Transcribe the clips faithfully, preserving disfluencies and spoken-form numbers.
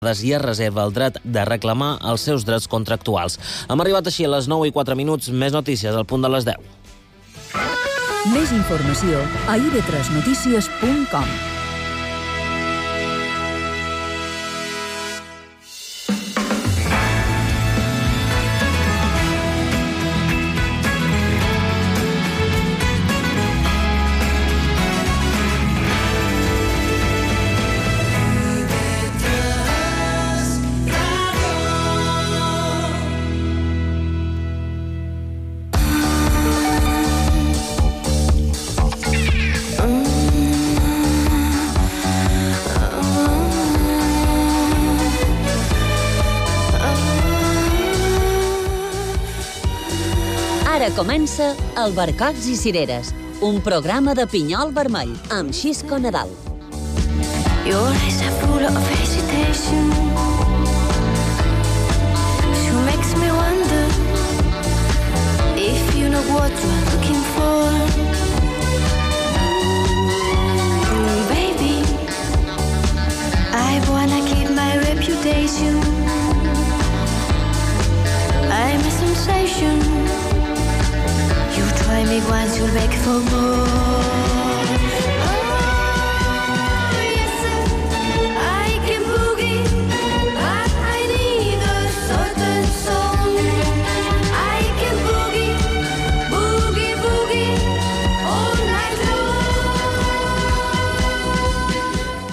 i es reserva el dret de reclamar els seus drets contractuals. Hem arribat així a les nou i quatre minuts, més notícies al punt de les deu. Més informació a i be tres notícies punt com. Ara comença Albercocs i Cireres, un programa de pinyol vermell amb Xisco Nadal. Your eyes are full of hesitation. She makes me wonder if you know what you're looking for. Mm, baby, I wanna keep my reputation. I'm a sensation. You try me once, you'll beg for more.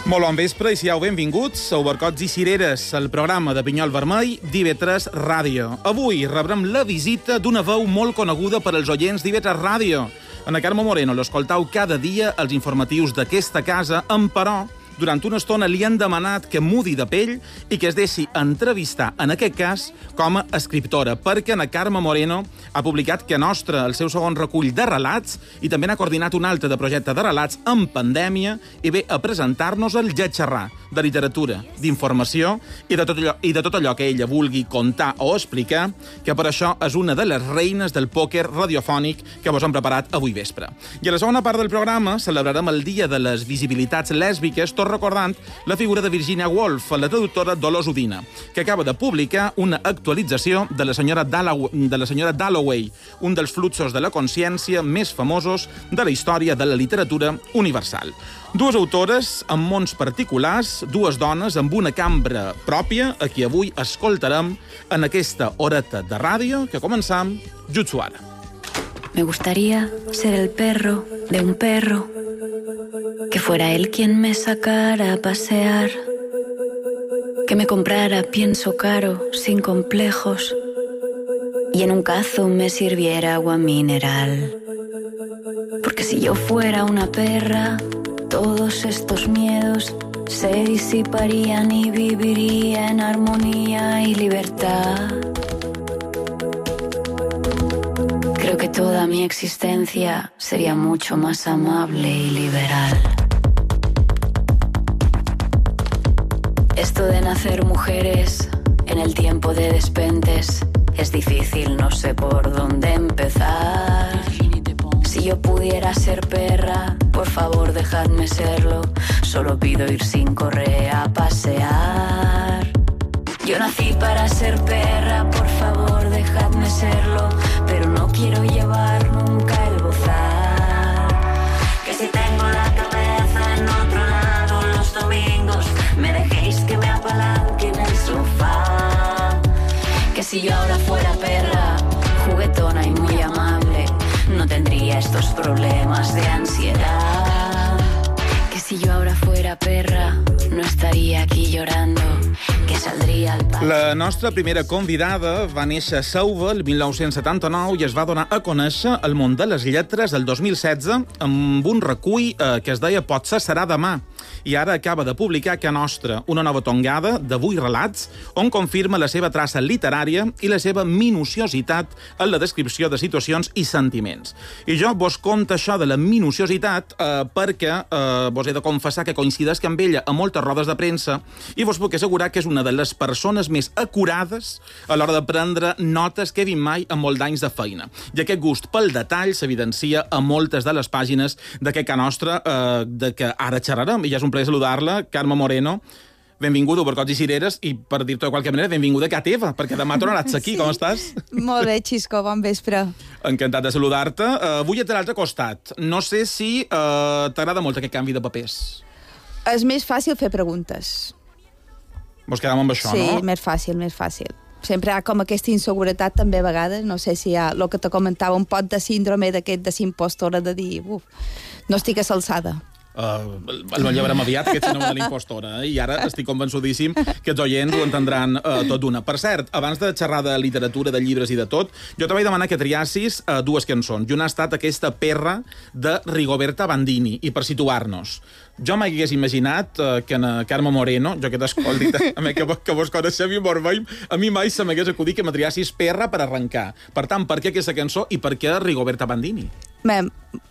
Molt bon vespre i siau benvinguts a Albercocs i Cireres, el programa de pinyol vermell d'I B tres Ràdio. Avui rebrem la visita d'una veu molt coneguda per als oients d'I B tres Ràdio. Ana Carme Moreno l'escoltau cada dia als informatius d'aquesta casa, però durant una estona li han demanat que mudi de pell i que es deixi entrevistar, en aquest cas, com a escriptora, perquè Ana Carme Moreno ha publicat Que Nostra, el seu segon recull de relats, i també n'ha coordinat un altre de projecte de relats en pandèmia, i ve a presentar-nos el Lletxerrar, de literatura, d'informació i de tot allò, i de tot allò que ella vulgui contar o explicar, que per això és una de les reines del pòquer radiofònic que vos hem preparat avui vespre. I a la segona part del programa celebrarem el Dia de les Visibilitats Lèsbiques, tot recordant la figura de Virginia Woolf, la traductora Dolors Udina, que acaba de publicar una actualització de la senyora Dalloway, de la senyora Dalloway, un dels fluxos de la consciència més famosos de la història de la literatura universal. Dues autores amb mons particulars, dues dones amb una cambra pròpia, a qui avui escoltarem en aquesta horeta de ràdio que començam jutsu ara. Me gustaría ser el perro de un perro, que fuera él quien me sacara a pasear, que me comprara pienso caro, sin complejos, y en un cazo me sirviera agua mineral. Porque si yo fuera una perra, todos estos miedos se disiparían y viviría en armonía y libertad. Creo que toda mi existencia sería mucho más amable y liberal. Esto de nacer mujeres en el tiempo de despentes es difícil, no sé por dónde empezar. Si yo pudiera ser perra, por favor dejadme serlo. Solo pido ir sin correa a pasear. Yo nací para ser perra, por favor dejadme serlo. Pero no quiero llevar nunca el bozal. Que si tengo la cabeza en otro lado los domingos, me dejéis que me apalanque en el sofá. Que si yo ahora fuera perra, juguetona y muy amable, no tendría estos problemas de ansiedad. Que si yo ahora fuera perra, no estaría aquí llorando, que saldria al pati. La nostra primera convidada va néixer a Sauva el mil nou-cents setanta-nou i es va donar a conèixer el món de les lletres el dos mil setze amb un recull eh, que es deia Potser serà demà. I ara acaba de publicar Que Nostra, una nova tongada de vuit relats on confirma la seva traça literària i la seva minuciositat en la descripció de situacions i sentiments. I jo vos conto això de la minuciositat eh, perquè eh, vos he de confessar que coincideix amb ella a moltes rodes de premsa i vos puc assegurar que és una de les persones més acurades a l'hora de prendre notes que he vist mai en molts anys de feina. I aquest gust pel detall s'evidencia a moltes de les pàgines d'aquest Que Nostra, eh, de què ara xerrarem, i ja és un plaer saludar-la, Carme Moreno. Benvinguda a Barcots i Cireres i, per dir-t'ho de qualque manera, benvinguda a casa teva, perquè demà tornaràs aquí. Sí. Com estàs? Molt bé, Xisco, bon vespre. Encantat de saludar-te. Uh, avui ets a l'altre costat. No sé si uh, t'agrada molt aquest canvi de papers. És més fàcil fer preguntes. Vols quedar amb això, sí, no? Sí, més fàcil, més fàcil. Sempre hi ha com aquesta inseguretat també a vegades, no sé si hi ha el que te comentava, un pot de síndrome d'aquest de s'impostora, de dir, uf, no estic a l'alçada. Uh, el llevarem aviat, aquest síndrome de l'impostora, eh? I ara estic convençudíssim que els oients ho entendran uh, tot d'una. Per cert, abans de xerrar de literatura, de llibres i de tot, jo te vaig demanar que triassis uh, dues cançons, i una ha estat aquesta Perra de Rigoberta Bandini, i per situar-nos. Jo mai hagués imaginat uh, que en uh, Carme Moreno, jo que t'escolti, a mi que, que vos coneixem i mos veiem, a mi mai se m'hagués acudit que m'atriassis Perra per arrencar. Per tant, per què aquesta cançó i per què Rigoberta Bandini?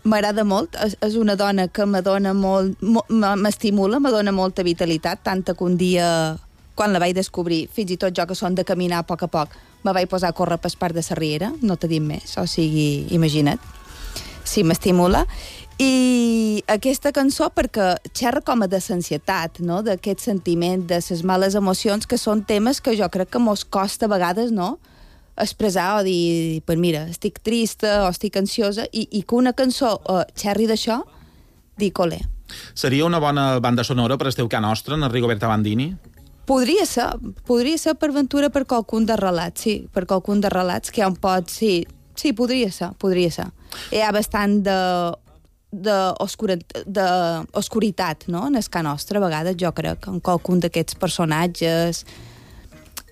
M'agrada molt, és, és una dona que m'adona molt, m'estimula, m'adona molta vitalitat, tanta que un dia, quan la vaig descobrir, fins i tot jo que són de caminar a poc a poc, me vaig posar a córrer per part de la riera, no t'he dit més, o sigui, imagina't. Sí, m'estimula. I aquesta cançó perquè xerra com a de l'ansietat, no? D'aquest sentiment, de les males emocions, que són temes que jo crec que mos costa a vegades, no?, expressar o dir, pues mira, estic trista o estic ansiosa, i, i que una cançó uh, xerri d'això, dic, olé. Seria una bona banda sonora per el teu ca nostre, en Rigoberta Bandini? Podria ser, podria ser per ventura per qualcun de relats, sí, per qualcun de relats que hi ha un pot, sí, sí, podria ser, podria ser. Hi ha bastant de... d'oscuritat, no?, en el ca nostre, a vegades, jo crec, en qualcun d'aquests personatges.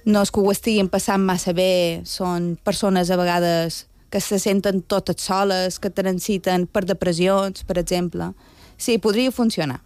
No és que ho estiguin passant massa bé, són persones a vegades que se senten totes soles, que transiten per depressions, per exemple. Sí, podria funcionar.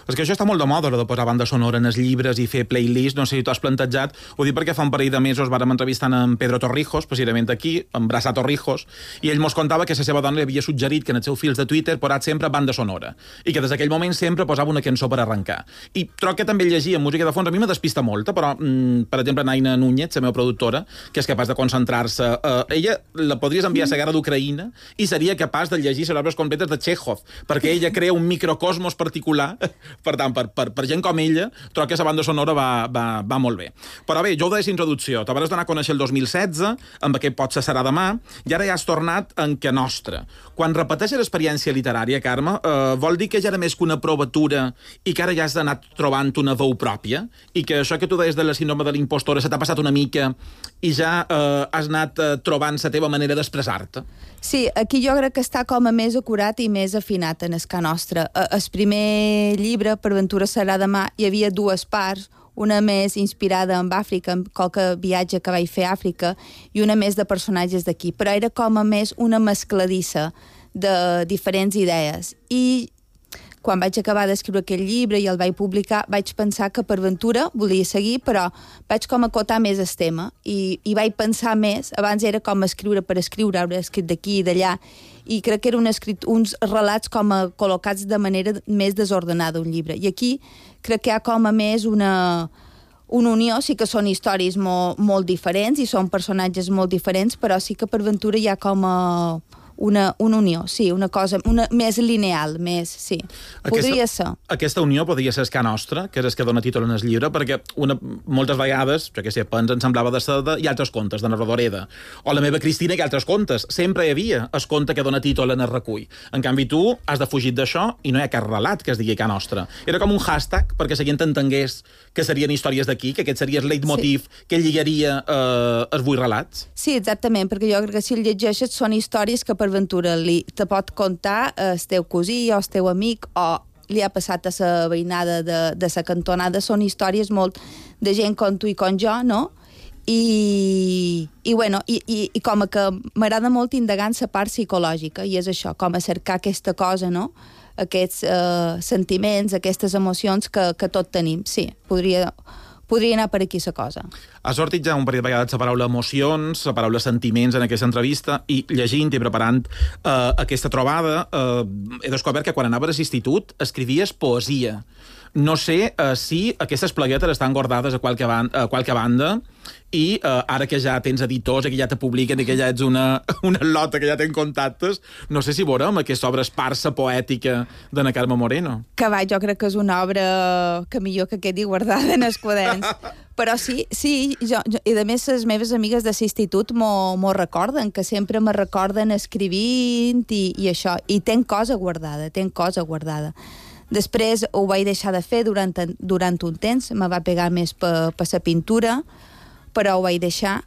És que això està molt de moda, de posar banda sonora en els llibres i fer playlist, no sé si t'ho has plantejat. Ho dic perquè fa un parell de mesos vàrem entrevistant en Pedro Torrijos, precisament aquí, en Brasa Torrijos, i ell mos contava que la seva dona li havia suggerit que en els seus fils de Twitter posat sempre banda sonora, i que des d'aquell moment sempre posava una cançó per arrencar. I troc que també llegia música de fons, a mi me despista molta, però, mm, per exemple, Naina Núñez, la meva productora, que és capaç de concentrar-se, eh, ella la podries enviar a la guerra d'Ucraïna i seria capaç de llegir les obres completes de Chekhov, perquè ella crea un microcosmos particular. Per tant, per, per, per gent com ella, trobo que la banda sonora va, va, va molt bé. Però bé, jo ho deia d'introducció. Te vas donar a conèixer el dos mil setze, amb aquest Potser serà demà, i ara ja has tornat en que nostre. Quan repeteixes l'experiència literària, Carme, eh, vol dir que ja era més que una provatura i que ara ja has anat trobant una veu pròpia? I que això que tu deies de la síndrome de l'impostora se t'ha passat una mica i ja eh, has anat eh, trobant la teva manera d'expressar-te? Sí, aquí jo crec que està com a més acurat i més afinat en el ca nostre. El primer llibre, Per ventura serà demà, hi havia dues parts, una més inspirada en Àfrica, en qualque viatge que vaig fer a Àfrica, i una més de personatges d'aquí, però era com a més una mescladissa de diferents idees. I quan vaig acabar d'escriure aquell llibre i el vaig publicar, vaig pensar que per ventura volia seguir, però vaig com acotar més el tema i, i vaig pensar més. Abans era com escriure per escriure, hauré escrit d'aquí i d'allà, i crec que eren escrit, uns relats com a col·locats de manera més desordenada, un llibre. I aquí crec que hi ha com a més una, una unió, sí que són històries molt, molt diferents i són personatges molt diferents, però sí que per ventura hi ha com a una, una unió, sí, una cosa una, més lineal, més, sí. Podria aquesta, ser. Aquesta unió podria ser el ca nostre, que és el que dona títol en el llibre, perquè una, moltes vegades, jo què sé, Pens ens semblava de Seda i altres contes, de Narradoreda, o la meva Cristina i altres contes. Sempre hi havia el conte que dona títol en el recull. En canvi, tu has de fugir d'això i no hi ha cap relat que es digui ca nostre. Era com un hashtag perquè la gent entengués que serien històries d'aquí, que aquest seria el leitmotiv sí. que lligaria eh, els vuit relats. Sí, exactament, perquè jo crec que si el llegeixes són històries que per ventura li te pot contar el teu cosí o el teu amic o li ha passat a la veïnada de, de la cantonada. Són històries molt de gent com tu i com jo, no? I, i, bueno, i, i, i com que m'agrada molt indagar en la part psicològica, i és això, com a cercar aquesta cosa, no? Aquests eh, sentiments, aquestes emocions que, que tot tenim. Sí, podria... podria anar per aquí la cosa. Ha sortit ja un parell de vegades la paraula emocions, la paraula sentiments en aquesta entrevista, i llegint i preparant eh, aquesta trobada eh, he descobert que quan anaves a l'institut escrivies poesia. No sé eh, si aquestes pleguetes estan guardades a qualque, ban a qualque banda i uh, ara que ja tens editors i que ja te publiquen i que ja ets una, una lota que ja ten contactes, no sé si veurem aquesta obra esparsa poètica d'Anna Carme Moreno. Que va, jo crec que és una obra que millor que quedi guardada en els quaderns. Però sí, sí, jo, jo, i a més les meves amigues de l'institut m'ho recorden, que sempre me recorden escrivint i, i això, i tenc cosa guardada, tenc cosa guardada. Després ho vaig deixar de fer durant, durant un temps, me va pegar més per pa la pintura, però ho vaig deixar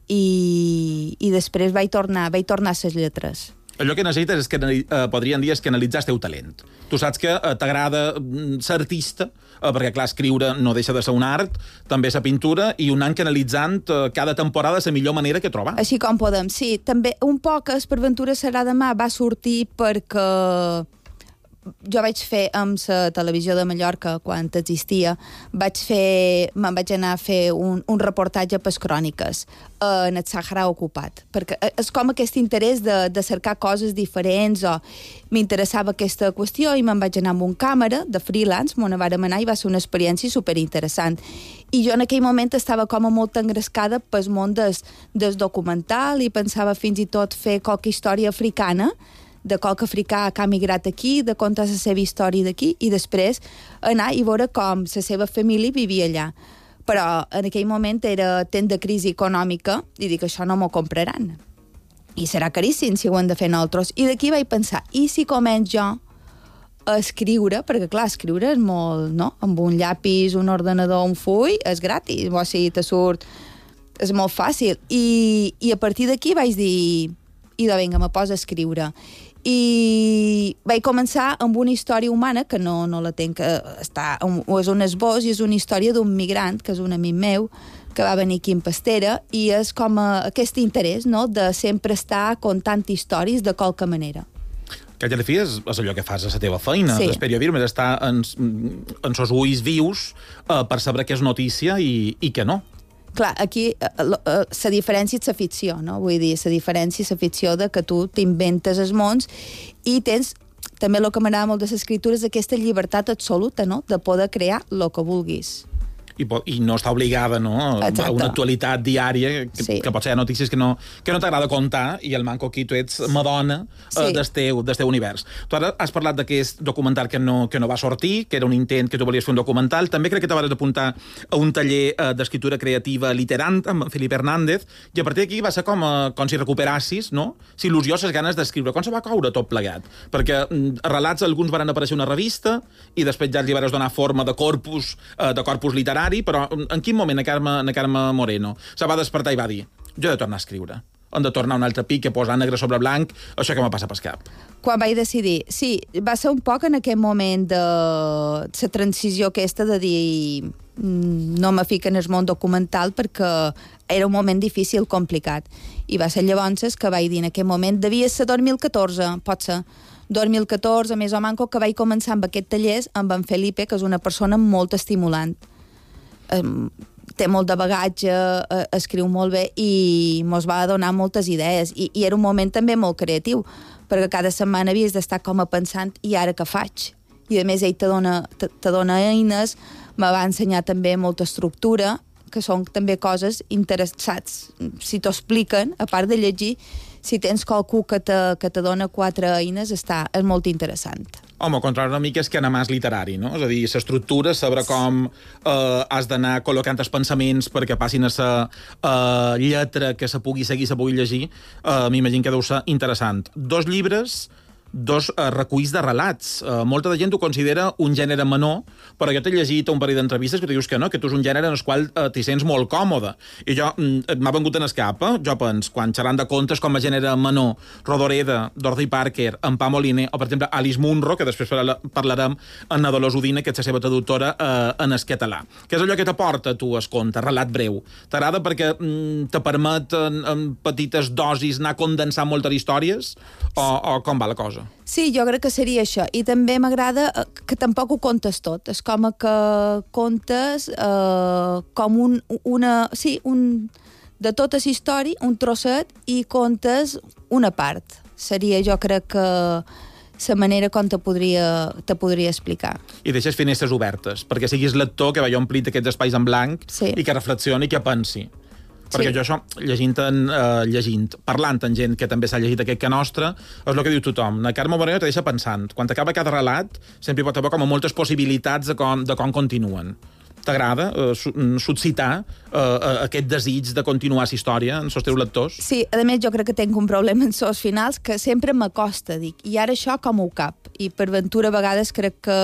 i, i després vaig tornar, vaig tornar a les lletres. Allò que necessites és que, eh, podrien dir, és que analitzar el teu talent. Tu saps que eh, t'agrada ser artista, eh, perquè, clar, escriure no deixa de ser un art, també la pintura, i un any que analitzant eh, cada temporada la millor manera que trobar. Així com podem, sí. També un poc es per Ventura serà demà va sortir perquè jo vaig fer amb la televisió de Mallorca, quan existia, vaig fer, me'n vaig anar a fer un, un reportatge per cròniques eh, en el Sàhara ocupat, perquè és com aquest interès de, de cercar coses diferents, o m'interessava aquesta qüestió i me'n vaig anar amb un càmera de freelance, m'ho vàrem anar i va ser una experiència superinteressant. I jo en aquell moment estava com a molt engrescada pel món des, des documental i pensava fins i tot fer qualque història africana, de qualque africà que ha migrat aquí, de contar la seva història d'aquí, i després anar i veure com la seva família vivia allà. Però en aquell moment era temps de crisi econòmica i dic, això no m'ho compraran. I serà caríssim si ho hem de fer nosaltres. I d'aquí vaig pensar, i si començo jo a escriure, perquè clar, escriure és molt, no? Amb un llapis, un ordenador, un full, és gratis, o sigui, te surt... És molt fàcil. I, i a partir d'aquí vaig dir, idò, vinga, me poso a escriure. I vaig començar amb una història humana, que no, no la tenc, que està, és un esbós i és una història d'un migrant, que és un amic meu, que va venir aquí en Pastera, i és com a, aquest interès, no?, de sempre estar contant històries de qualque manera. Que ja de fi és, és allò que fas a la teva feina, sí. El periodisme és estar en, en sos ulls vius eh, per saber què és notícia i, i què no. Clar, aquí la diferència és la ficció, no? Vull dir, la diferència és la ficció de que tu t'inventes els mons i tens, també el que m'agrada molt de l'escriptura és aquesta llibertat absoluta, no?, de poder crear el que vulguis. I, i no està obligada, no?, a una actualitat diària, que, sí. que pot ser notícies que no, que no t'agrada contar, i el manco aquí tu ets Madonna sí. eh, del, teu, del teu univers. Tu ara has parlat d'aquest documental que no, que no va sortir, que era un intent que tu volies fer un documental. També crec que t'havies d'apuntar a un taller eh, d'escriptura creativa literant amb Felip Hernández, i a partir d'aquí va ser com, eh, com si recuperassis, no?, si il·lusió, les ganes d'escriure. Com se va caure tot plegat? Perquè mm, relats alguns van aparèixer una revista i després ja li vas donar forma de corpus, eh, de corpus literari, però en quin moment a Carme, a Carme Moreno se va despertar i va dir, jo he de tornar a escriure, hem de tornar a un altre pic, que posar negre sobre blanc, això que me passa pel cap? Quan vaig decidir, sí, va ser un poc en aquest moment de la transició aquesta de dir no me fico en el món documental perquè era un moment difícil, complicat, i va ser llavors que vaig dir en aquest moment, devia ser dos mil catorze, pot ser dos mil catorze, més o manco, que vaig començar amb aquest taller amb en Felipe, que és una persona molt estimulant. Um, té molt de bagatge, uh, escriu molt bé i mos va donar moltes idees I, i era un moment també molt creatiu perquè cada setmana havies d'estar com a pensant i ara què faig? I a més ell te dona, te, te dona eines, me va ensenyar també molta estructura, que són també coses interessants, si t'ho expliquen, a part de llegir, si tens qualcú que te, que te dona quatre eines, està, és molt interessant. Home, al contrari una mica és que anar més literari, no? És a dir, l'estructura, saber com eh, has d'anar col·locant els pensaments perquè passin a la eh, lletra que se pugui seguir, se pugui llegir, eh, m'imagino que deu ser interessant. Dos llibres, dos eh, reculls de relats. Eh, molta de gent ho considera un gènere menor, però jo t'he llegit un parell d'entrevistes que tu dius que no, que tu és un gènere en el qual eh, t'hi sents molt còmode. I jo, mm, m'ha vengut en escapa, jo pens, quan xerrant de contes com a gènere menor, Rodoreda, Dorothy Parker, en Pau Moliner, o per exemple Alice Munro, que després parlarem en la Dolors Udina, que és la seva traductora eh, en el català. Què és allò que t'aporta tu el conte, relat breu? T'agrada perquè mm, te permet en, en petites dosis anar condensant moltes històries? O, o com va la cosa? Sí, jo crec que seria això. I també m'agrada que tampoc ho contes tot. És com que contes eh, com un, una... Sí, un, de tota la història, un trosset, i contes una part. Seria, jo crec que la manera com te podria, te podria explicar. I deixes finestres obertes, perquè siguis lector que vagi omplit aquests espais en blanc sí. I que reflexioni i que pensi. Perquè Sí. jo això, llegint, en, uh, llegint, parlant amb gent que també s'ha llegit aquest que nostre, és el que diu tothom. La Carme Moreno te deixa pensant. Quan acaba cada relat, sempre hi pot haver com a moltes possibilitats de com, de com continuen. T'agrada uh, suscitar uh, aquest desig de continuar la història en els teus lectors? Sí, a més jo crec que tinc un problema en els finals que sempre m'acosta, dic, i ara això com ho cap? I per ventura a vegades crec que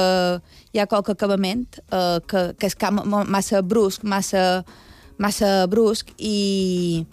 hi ha qualque acabament uh, que, que és cam, massa brusc, massa, massa brusc, i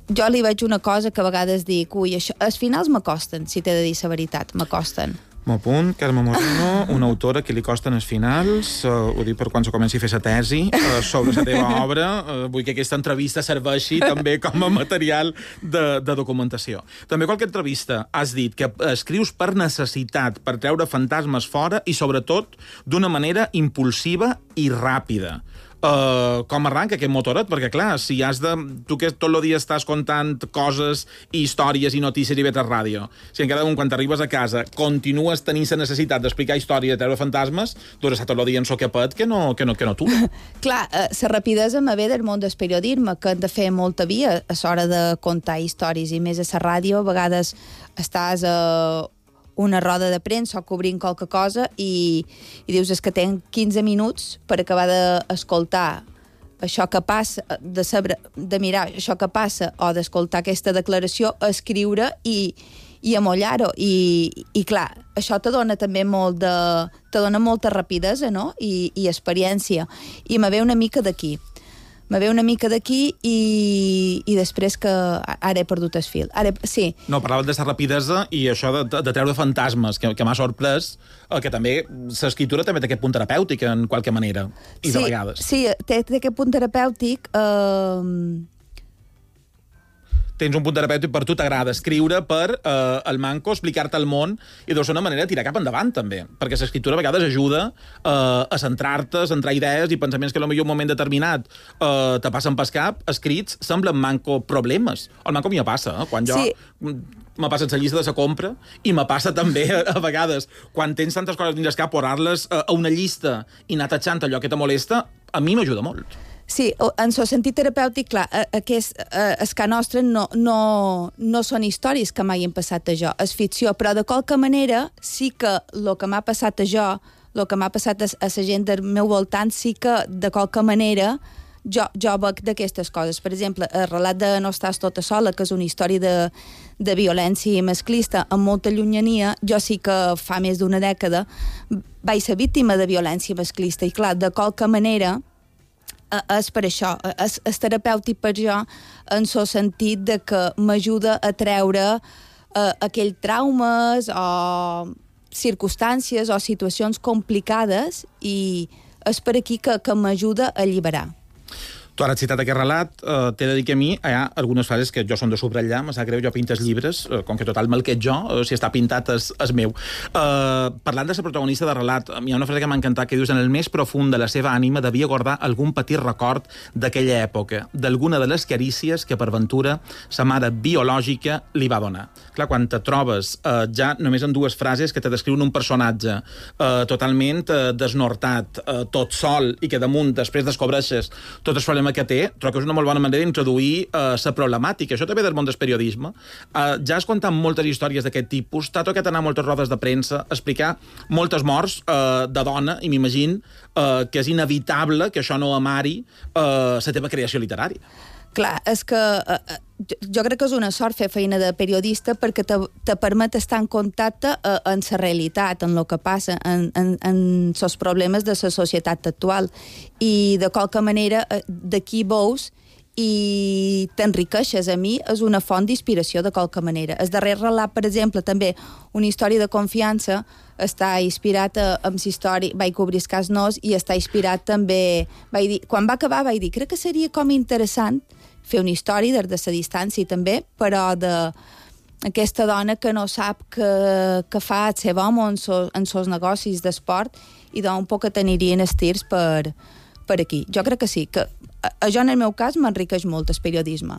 jo li veig una cosa que a vegades dic, ui, això, els finals m'acosten, si t'he de dir la veritat, m'acosten. M'ho apunt, Carme Moreno, una autora que li costen els finals, uh, ho dic per quan se comenci a fer la tesi, uh, sobre la teva obra, uh, vull que aquesta entrevista serveixi també com a material de, de documentació. També qualque entrevista has dit que escrius per necessitat, per treure fantasmes fora i sobretot d'una manera impulsiva i ràpida. Uh, com arranca aquest motoret? Perquè, clar, si has de... Tu que tot el dia estàs contant coses i històries i notícies i vetes ràdio, si encara un, quan t'arribes a casa, continues tenint la necessitat d'explicar història i de treure fantasmes, doncs està tot el dia en soquepet que no, que no, que no tu. Clar, la uh, rapidesa me ve del món del periodisme, que hem de fer molta via a l'hora de contar històries, i més a la ràdio, a vegades estàs a uh, una roda de premsa o cobrint qualque cosa i, i dius, és que tenc quinze minuts per acabar d'escoltar això que passa, de, saber, de mirar això que passa o d'escoltar aquesta declaració, escriure i, i amollar-ho. I, I clar, això te dona també molt de... te dona molta rapidesa, no? I, i experiència. I me ve una mica d'aquí. Me ve una mica d'aquí i, i després que ara he perdut el fil. Ara, sí. No, parlaves de la rapidesa i això de, de treure fantasmes, que, que m'ha sorprès, que també l'escriptura també té aquest punt terapèutic en qualque manera, i sí, de vegades. Sí, té, té aquest punt terapèutic... Eh... Tens un punt terapèutic, per tu t'agrada escriure per eh, el manco, explicar-te el món, i deu ser una manera de tirar cap endavant, també, perquè l'escriptura a vegades ajuda eh, a centrar-te, a centrar idees i pensaments que potser en un moment determinat eh, te passen pel cap, escrits, semblen manco problemes. El manco m'hi passa, eh? Quan jo... Sí. Me passa la llista de la compra i me passa també, a vegades, quan tens tantes coses dins el cap, posar-les a una llista i anar tatxant allò que te molesta, a mi m'ajuda molt. Sí, en el sentit terapèutic, clar, aquest, el que nostre no, no, no són històries que m'hagin passat a jo, és ficció, però de qualque manera sí que el que m'ha passat a jo, el que m'ha passat a, a la gent del meu voltant, sí que de qualque manera jo, jo veig d'aquestes coses. Per exemple, el relat de No estàs tota sola, que és una història de, de violència masclista amb molta llunyania, jo sí que fa més d'una dècada vaig ser víctima de violència masclista i clar, de qualque manera és per això, és, és terapèutic per jo en el sentit de que m'ajuda a treure eh, aquells traumes o circumstàncies o situacions complicades i és per aquí que, que m'ajuda a alliberar. Tu ara has citat aquest relat, eh, t'he de dir que a mi hi ha algunes frases que jo són de subratllar, me sap greu, jo pintes llibres, eh, com que total me'l que jo, eh, si està pintat és, és meu. Eh, parlant de la protagonista de relat, hi ha una frase que m'ha encantat que dius: en el més profund de la seva ànima devia guardar algun petit record d'aquella època, d'alguna de les carícies que per ventura sa mare biològica li va donar. Clar, quan te trobes eh, ja només en dues frases que te descriuen un personatge eh, totalment eh, desnortat, eh, tot sol, i que damunt després descobreixes tots els problemes que té, trobo que és una molt bona manera d'introduir la uh, problemàtica. Això també del món del periodisme. Uh, ja has contat moltes històries d'aquest tipus, t'ha tocat anar a moltes rodes de premsa, explicar moltes morts uh, de dona, i m'imagino uh, que és inevitable que això no amari la uh, teva creació literària. Clar, és que uh, jo crec que és una sort fer feina de periodista perquè te, te permet estar en contacte uh, amb la realitat, en el que passa, en, en, en els problemes de la societat actual. I de qualque manera uh, d'aquí veus i t'enriqueixes. A mi és una font d'inspiració de qualque manera. El darrer relat, per exemple, també una història de confiança, està inspirat en la història, vaig cobrir el cas Nos i està inspirat també, vaig dir, quan va acabar vaig dir, crec que seria com interessant fer una història des de la distància també, però de aquesta dona que no sap que, que fa el seu home en els seus negocis d'esport i d'un poc que t'anirien estirs per, per aquí. Jo crec que sí, que això en el meu cas m'enriqueix molt el periodisme.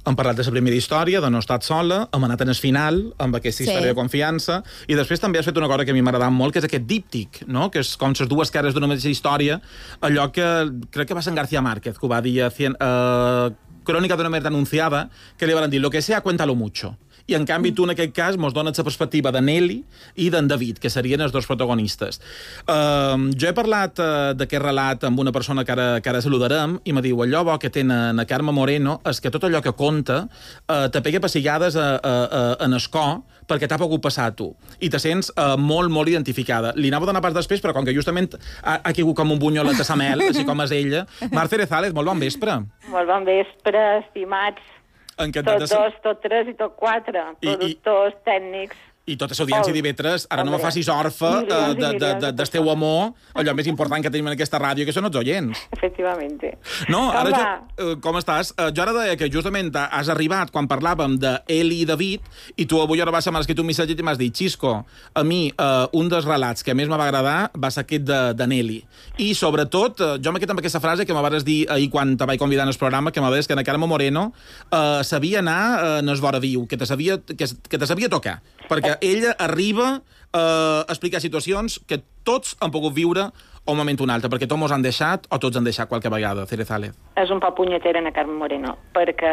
Hem parlat de la primera història, de No estat sola, hem anat en el final, amb aquesta història Sí. de confiança, i després també has fet una cosa que a mi m'ha agradat molt, que és aquest díptic, no? Que és com les dues cares d'una mateixa història, allò que crec que va ser en García Márquez, que ho va dir a cien, uh, Crònica d'una merda anunciada, que li van dir, lo que sea, cuéntalo mucho. I, en canvi, tu, en aquest cas, mos dones la perspectiva de Nelly i d'en David, que serien els dos protagonistes. Uh, jo he parlat uh, d'aquest relat amb una persona que ara, que ara saludarem i me diu, allò bo que té na Carme Moreno és que tot allò que conta uh, te pega pessigades a, a, a, en escó perquè t'ha pogut passar a tu. I te sents uh, molt, molt identificada. Li anava a donar pas després, però com que justament ha, ha caigut com un bunyolet de Samel, així com és ella. Marta Erezález, molt bon vespre. Molt bon vespre, estimats. Encantat tot dos, tot tres i tot quatre. I, productors, i... tècnics. I tota l'audiència d'Ivetres, ara no me facis orfa uh, de, de, de, del teu amor, allò més important que tenim en aquesta ràdio, que són els oients. Efectivamente. No, ara jo, uh, com estàs? Uh, jo ara deia que justament has arribat quan parlàvem d'Eli i David, i tu avui ara vas m'has escrit un missatge i m'has dit, Xisco, a mi uh, un dels relats que més me va agradar va ser aquest de, de Nelly. I sobretot, uh, jo m'he quedat amb aquesta frase que me vas dir ahir quan te vaig convidar en el programa, que me vas dir que na Carme Moreno uh, sabia anar uh, en el vora viu, que te sabia, que, que te sabia tocar, perquè ella arriba eh, a explicar situacions que tots han pogut viure un moment o un altre, perquè tots mos han deixat o tots han deixat qualque vegada, Cerezález. És un poc punyetera en Carme Moreno, perquè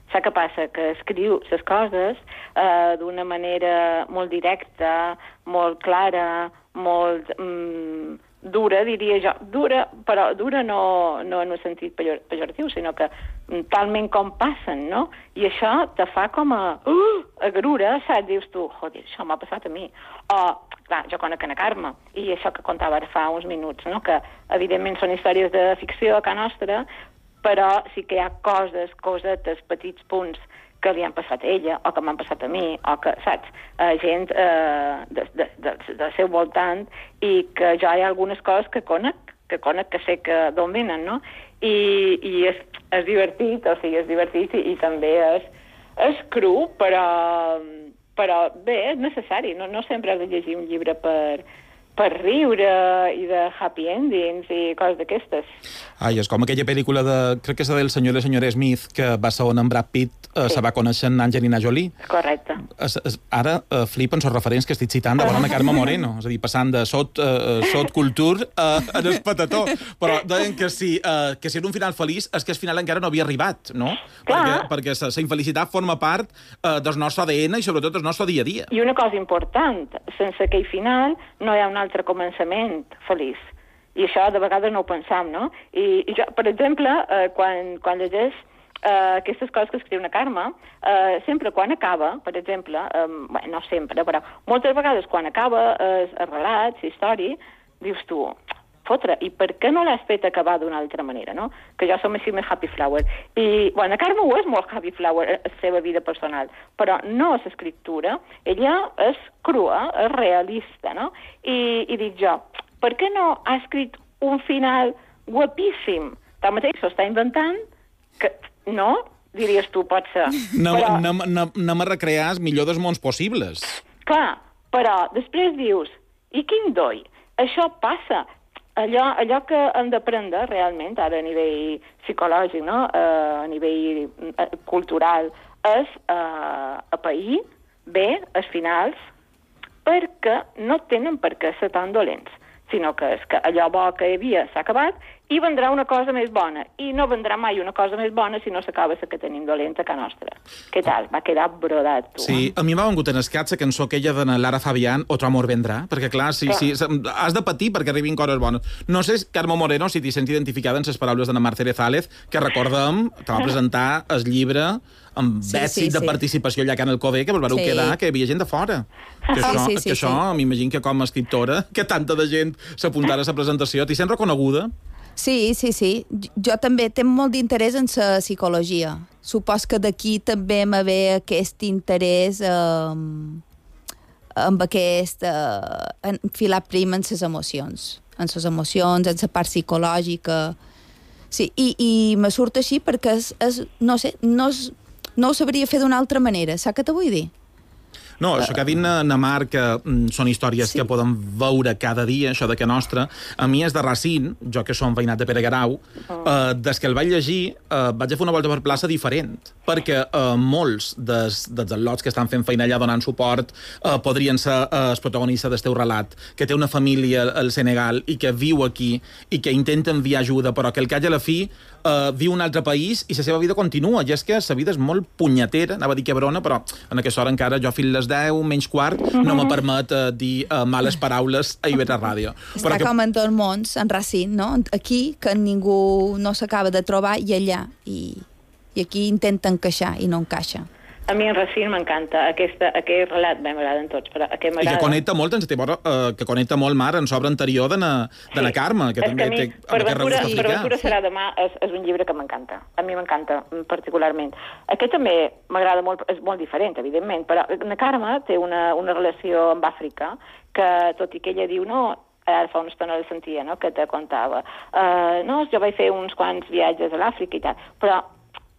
sap què passa? Que escriu les coses eh, d'una manera molt directa, molt clara, molt mm, dura, diria jo. Dura, però dura no, no en un sentit pejor, pejoratiu, sinó que talment com passen, no? I això te fa com a... Uh, a grura, saps? Dius tu, joder, això m'ha passat a mi. O, clar, jo conec a Carme, i això que contava ara fa uns minuts, no? Que evidentment són històries de ficció a casa nostra, però sí que hi ha coses, cosetes, petits punts que li han passat a ella, o que m'han passat a mi, o que, saps, a gent eh, de, de, de, del seu voltant, i que jo hi ha algunes coses que conec, que conec que sé que d'on venen, no? I, i és, és divertit, o sigui, és divertit i, i també és, és cru, però, però bé, és necessari. No, no sempre has de llegir un llibre per, per riure i de happy endings i coses d'aquestes. Ai, és com aquella pel·lícula de... crec que és del senyor i la senyora Smith, que va ser on en Brad Pitt eh, sí. se va conèixer en Angelina Jolie. Correcte. Es, es, ara eh, flipen els referents que estic citant de bona Carme Moreno, és a dir, passant de sot, eh, sot cultur a, a el patató. Però deien que si, eh, que si era un final feliç és que el final encara no havia arribat, no? Perquè, perquè la infelicitat forma part eh, del nostre A D N i sobretot del nostre dia a dia. I una cosa important, sense aquell final no hi ha un altre començament feliç. I això de vegades no ho pensam, no? I, i jo, per exemple, eh, quan, quan llegeix eh, aquestes coses que escriu una Carme, eh, sempre quan acaba, per exemple, eh, bé, no sempre, però moltes vegades quan acaba eh, el relat, la història, dius tu, fotre, i per què no l'has fet acabar d'una altra manera, no? Que jo som així més happy flower. I, bueno, Carme ho és molt happy flower, la seva vida personal, però no és escriptura, ella és crua, és realista, no? I, i dic jo, per què no ha escrit un final guapíssim? Tanmateix s'ho està inventant, que no, diries tu, pot ser. No, però... no, no, no me recrear els millors dels mons possibles. Clar, però després dius, i quin doi? Això passa. Allò, allò que hem d'aprendre realment, ara a nivell psicològic, no? uh, a nivell uh, cultural, és uh, apair bé els finals perquè no tenen per què ser tan dolents, sinó que és que allò bo que hi havia s'ha acabat i vendrà una cosa més bona. I no vendrà mai una cosa més bona si no s'acaba la que tenim dolenta a casa nostra. Què tal? Va quedar brodat, tu. Sí, a mi m'ha vengut en escat la cançó aquella de Lara Fabián, Otro amor vendrà, perquè clar, sí, clar. sí, has de patir perquè arribin coses bones. No sé, Carme Moreno, si t'hi sents identificada en les paraules d'Anna Marta Erezález, que recordem que va presentar el llibre amb sí, èxit sí, de sí. participació allà a Can Alcover, que vos vareu sí. quedar, que hi havia gent de fora. Que sí, això, sí, sí, que això sí. m'imagino que com a escriptora, que tanta de gent s'apuntara a la presentació, t'hi sents reconeguda? Sí, sí, sí. Jo també tinc molt d'interès en la psicologia. Supos que d'aquí també me ve aquest interès eh, amb aquest eh, enfilar prim en les emocions. En les emocions, en la part psicològica. Sí, i, i me surt així perquè és, és, no sé, no, és, no ho sabria fer d'una altra manera. Saps què te vull dir? No, això que ha dit na Mar, que mm, són històries sí. que podem veure cada dia, això de que nostra, a mi és de Racine, jo que som veïnat de Pere Garau, uh. eh, des que el vaig llegir, eh, vaig a fer una volta per plaça diferent, perquè eh, molts dels, dels al·lots que estan fent feina allà donant suport eh, podrien ser eh, els protagonistes del teu relat, que té una família al Senegal i que viu aquí i que intenta enviar ajuda, però que el catge a la fi eh, viu un altre país i la seva vida continua, i és que la vida és molt punyetera, anava a dir quebrona, però en aquesta hora encara jo fins les deu, menys quart, no me permet uh, dir uh, males paraules a I V tres Ràdio. Està però que... com en tots mons, en Racine, no? Aquí, que ningú no s'acaba de trobar, i allà, i, i aquí intenta encaixar i no encaixa. A mi en Racine m'encanta, aquesta, aquest relat m'agraden tots, però aquest I que connecta molt, ens té, uh, que connecta molt, Mar, en l'obra anterior de na, de na Carme, que és també que mi, té per ventura, per ventura serà demà, és, és un llibre que m'encanta. A mi m'encanta particularment. Aquest també m'agrada molt, és molt diferent, evidentment, però na Carme té una, una relació amb Àfrica que, tot i que ella diu, no, ara fa una estona la sentia, no?, que te contava. Uh, no, jo vaig fer uns quants viatges a l'Àfrica i tal, però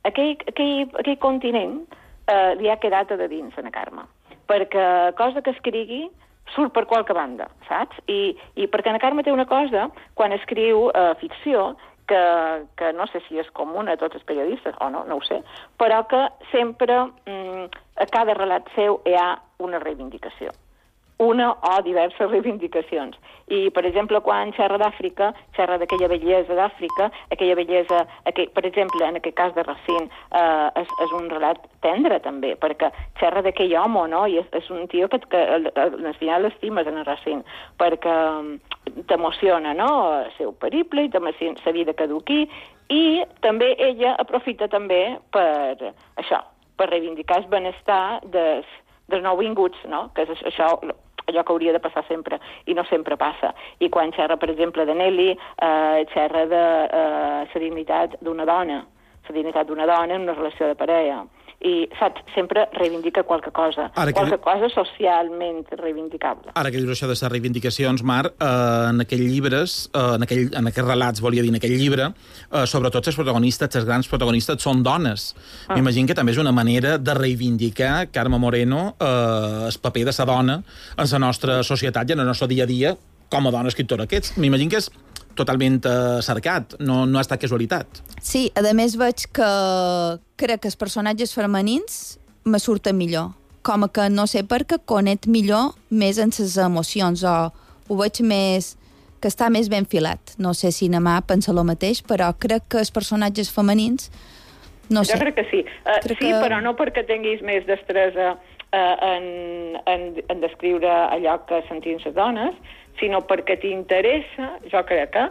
aquell, aquell, aquell continent Uh, li ha quedat a de dins, a na Carme. Perquè cosa que escrigui surt per qualque banda, saps? I, i perquè na Carme té una cosa, quan escriu uh, ficció, que, que no sé si és comuna a tots els periodistes, o no, no ho sé, però que sempre, mm, a cada relat seu hi ha una reivindicació. Una o diverses reivindicacions. I, per exemple, quan xerra d'Àfrica, xerra d'aquella bellesa d'Àfrica, aquella bellesa, aquell, per exemple, en aquest cas de Racine, eh, és, és un relat tendre, també, perquè xerra d'aquell home, no?, i és, és un tio que, que al final l'estimes en el Racine, perquè t'emociona, no?, el seu periple, i també la vida que du aquí, i també ella aprofita també per això, per reivindicar el benestar dels, dels nouvinguts, no?, que és això, allò que hauria de passar sempre, i no sempre passa. I quan xerra, per exemple, de Nelly, eh, xerra de eh, la dignitat d'una dona, la dignitat d'una dona en una relació de parella. I, saps, sempre reivindica qualque cosa, que... qualque cosa socialment reivindicable. Ara que dius això de les reivindicacions, Mar, eh, en aquells llibres, eh, en, aquell, en aquests relats, volia dir, en aquell llibre, eh, sobretot els protagonistes, els grans protagonistes, són dones. Ah. M'imagino que també és una manera de reivindicar, Carme Moreno, eh, el paper de la dona en la nostra societat i en el nostre dia a dia com a dona escriptora que ets. M'imagino que és totalment uh, cercat, no, no ha estat casualitat. Sí, a més veig que crec que els personatges femenins me surten millor. Com que no sé per què connect millor més en les emocions, o ho veig més, que està més ben filat. No sé si Namà pensa el mateix, però crec que els personatges femenins, no sé. Jo crec que sí. Uh, crec sí, que... però no perquè tinguis més destresa uh, en, en, en descriure allò que sentim les dones, sinó perquè t'interessa, jo crec que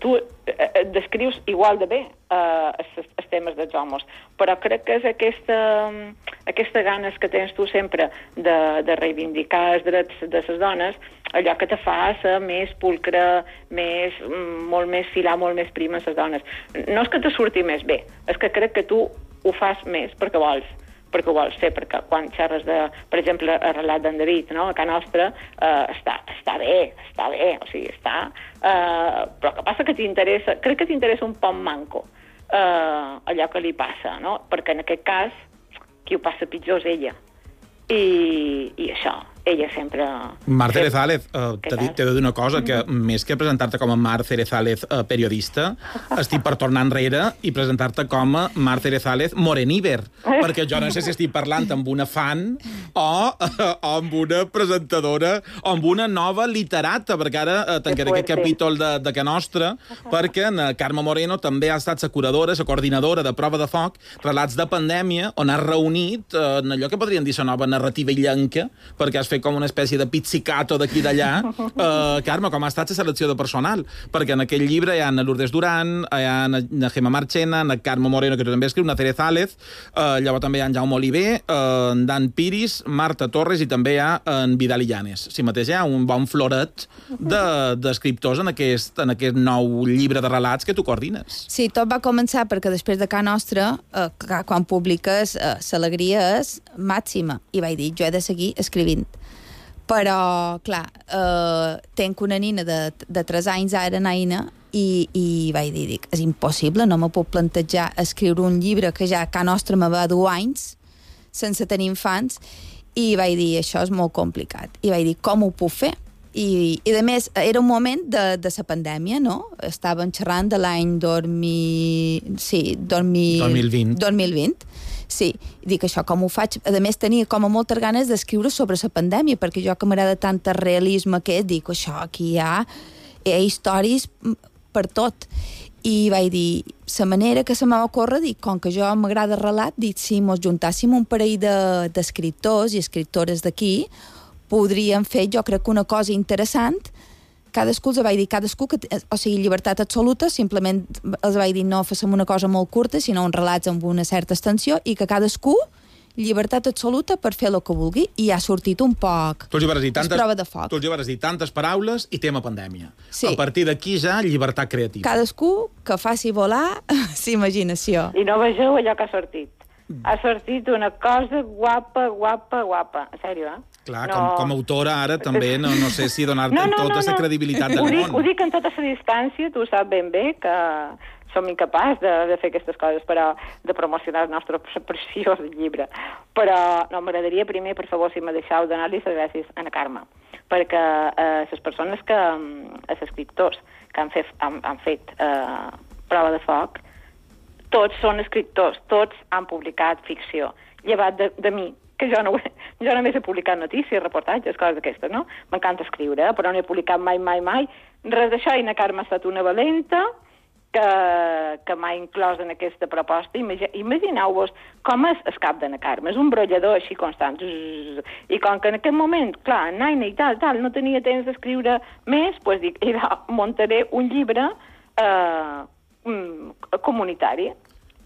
tu et descrius igual de bé eh, els temes dels homes, però crec que és aquesta, aquesta ganes que tens tu sempre de, de reivindicar els drets de les dones, allò que te fa ser més pulcre, més, molt més filar, molt més prima a les dones. No és que te surti més bé, és que crec que tu ho fas més perquè vols. perquè ho vols fer, perquè quan xerres de, per exemple, el relat d'en David, no?, a casa nostra, eh, està, està bé, està bé, o sigui, està... Eh, però que passa que t'interessa, crec que t'interessa un poc manco eh, allò que li passa, no?, perquè en aquest cas qui ho passa pitjor és ella. I, i això, ella sempre... Mar Cerezález, uh, t'he de dir una cosa, que més que presentar-te com a Mar Cerezález uh, periodista, estic per tornar enrere i presentar-te com a Mar Cerezález moreníver, perquè jo no sé si estic parlant amb una fan o, uh, o amb una presentadora o amb una nova literata, perquè ara uh, tancaré aquest capítol de, de que nostra, perquè en Carme Moreno també ha estat la curadora, la coordinadora de Prova de Foc, relats de pandèmia, on ha reunit uh, en allò que podríem dir la nova narrativa illenca, perquè has fet com una espècie de pizzicato d'aquí d'allà. Uh, Carme, com ha estat la selecció de personal? Perquè en aquell llibre hi ha en Lourdes Duran, hi ha en Gemma Marchena, en Carme Moreno, que tu també escriu, en Cerezález, uh, llavors també hi ha en Jaume Oliver, uh, en Dan Piris, Marta Torres, i també hi ha en Vidal Illanes. Si mateix hi ha un bon floret d'escriptors de, en, aquest, en aquest nou llibre de relats que tu coordines. Sí, tot va començar perquè després de Ca Nostra, eh, quan publiques, eh, l'alegria és màxima, i vaig dir, jo he de seguir escrivint. Però, clar, eh, tenc una nina de, de tres anys ara, naina, i, i vaig dir, dic, és impossible, no me puc plantejar escriure un llibre que ja a Ca Nostra me va dur anys, sense tenir infants, I vaig dir, això és molt complicat. I vaig dir, com ho puc fer? I, i a més, era un moment de, de la pandèmia, no? Estàvem xerrant de l'any dos mil... Sí, dos mil... dos mil vint. dos mil vint. Sí, i dic, això com ho faig? A més, tenia com a moltes ganes d'escriure sobre la pandèmia, perquè jo que m'agrada tant el realisme que dic, això, aquí hi ha, hi ha històries per tot. I vaig dir, la manera que se m'ha ocórrer, dic, com que jo m'agrada el relat, dic, si mos juntàssim un parell d'escriptors i escriptores d'aquí, podríem fer, jo crec que una cosa interessant, cadascú els vaig dir, cadascú, que, o sigui, llibertat absoluta, simplement els vaig dir, no fem una cosa molt curta, sinó uns relats amb una certa extensió, i que cadascú, llibertat absoluta per fer el que vulgui, i ha sortit un poc. Tu els hi vas dir tantes, prova de foc. tu els hi vas dir tantes paraules i tema pandèmia. Sí. A partir d'aquí ja, llibertat creativa. Cadascú que faci volar la imaginació. I no vegeu allò que ha sortit. Ha sortit una cosa guapa, guapa, guapa. En sèrio, eh? Clar, no... com, com a autora ara també no, no sé si donar-te no, no, tota la no, no. credibilitat del ho dic, món. Ho dic en tota la distància, tu saps ben bé que som incapaç de, de fer aquestes coses, però de promocionar el nostre preciós llibre. Però no, m'agradaria primer, per favor, si me deixeu, donar-li les gràcies a la Carme, perquè eh, les persones que, els escriptors que han fet, han, han fet eh, prova de foc, tots són escriptors, tots han publicat ficció, llevat de, de mi, que jo, no, jo només he publicat notícies, reportatges, coses d'aquestes, no? M'encanta escriure, però no he publicat mai, mai, mai. Res d'això, i na Carme ha estat una valenta que, que m'ha inclòs en aquesta proposta. Imagineu-vos com és el cap de na Carme. És un brollador així constant. I com que en aquest moment, clar, naina i tal, tal, no tenia temps d'escriure més, doncs dic, muntaré un llibre eh, comunitari.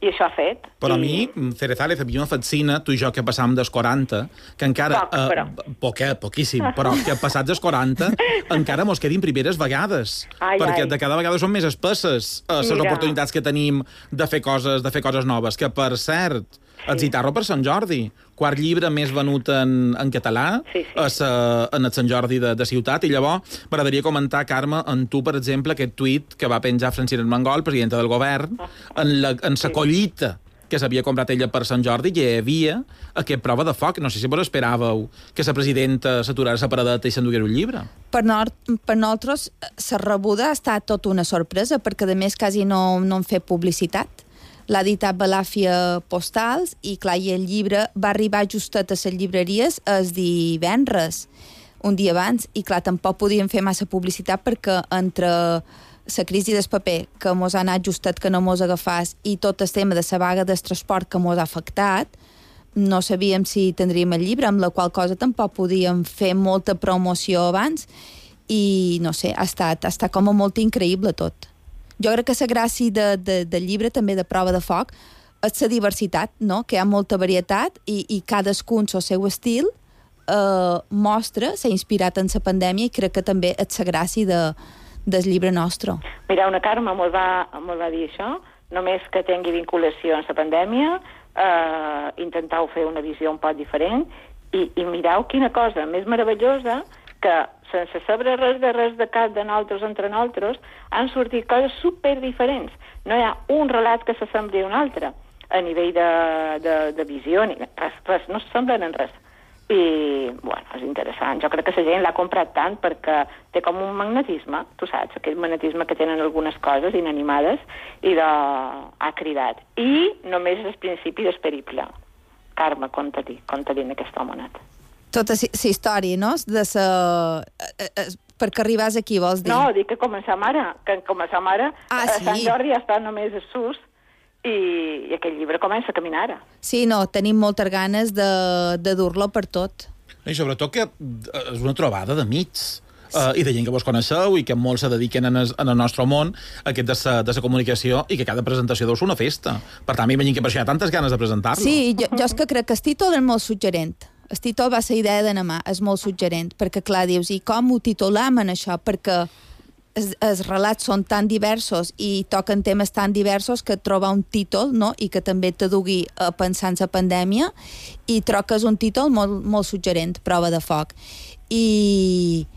I això ha fet. Però I... a mi, Cerezales, a mi me fascina, tu i jo, que passàvem dels quaranta, que encara... Poc, però. Eh, poquet, poquíssim, però que passats dels quaranta encara mos quedin primeres vegades. Ai, perquè ai. de cada vegada són més espesses eh, les Mira. oportunitats que tenim de fer coses de fer coses noves. Que, per cert, sí. el Zitarro per Sant Jordi, quart llibre més venut en, en català, sí, sí. A sa, en el Sant Jordi de, de Ciutat, i llavors m'agradaria comentar, Carme, en tu, per exemple, aquest tuit que va penjar Francina Armengol, presidenta del govern, oh. en la, en sa collita que s'havia comprat ella per Sant Jordi, i hi havia aquest prova de foc. No sé si vos esperàveu que la presidenta s'aturara la paradeta i s'enduguera un llibre. Per, nor per nosaltres, la rebuda ha estat tota una sorpresa, perquè, a més, quasi no, no han fet publicitat. L'ha editat Balàfia Postals, i, clar, i el llibre va arribar justet a les llibreries el divendres, un dia abans, i, clar, tampoc podien fer massa publicitat perquè entre la crisi del paper, que mos ha anat justet que no mos agafàs, i tot el tema de la vaga del transport que mos ha afectat, no sabíem si tindríem el llibre, amb la qual cosa tampoc podíem fer molta promoció abans, i, no sé, ha estat, ha estat com a molt increïble tot. Jo crec que la gràcia de, de, del llibre, també de prova de foc, és la diversitat, no? Que hi ha molta varietat, i, i cadascun el seu estil eh, mostra, s'ha inspirat en la pandèmia, i crec que també és la gràcia de del llibre nostre. Mira, una Carme mos va, mos va dir això, només que tingui vinculació amb la pandèmia, eh, intentau fer una visió un poc diferent, i, i mireu quina cosa més meravellosa, que sense saber res de res de cap de nosaltres entre nosaltres, han sortit coses super diferents. No hi ha un relat que s'assembli a un altre, a nivell de, de, de visió, ni res, res, no s'assemblen en res. I, bueno, és interessant. Jo crec que la gent l'ha comprat tant perquè té com un magnetisme, tu saps, aquell magnetisme que tenen algunes coses inanimades, i de... ha cridat. I només és el principi del periple. Carme, conta-li, conta-li en aquest homenat. Tota la història, no? De sa... perquè arribàs aquí, vols dir? No, dic que començam ara, que començam ara, ah, sí. Sant Jordi ja està només a sus, i, i aquell llibre comença a caminar ara. Sí, no, tenim moltes ganes de, de dur-lo per tot. I sobretot que és una trobada d'amics, uh, i de gent que vos coneixeu i que molts se dediquen en el, en el nostre món, aquest de sa, de sa comunicació, i que cada presentació deu ser una festa. Per tant, m'imagino que per això hi ha tantes ganes de presentar-lo. Sí, jo, jo és que crec que el títol és molt suggerent. El títol va ser idea de Namà, és molt suggerent, perquè, clar, dius, i com ho titulam en això? Perquè els, els relats són tan diversos i toquen temes tan diversos que trobar un títol, no?, i que també te dugui a pensar en la pandèmia, i troc que és un títol molt, molt suggerent, prova de foc. I,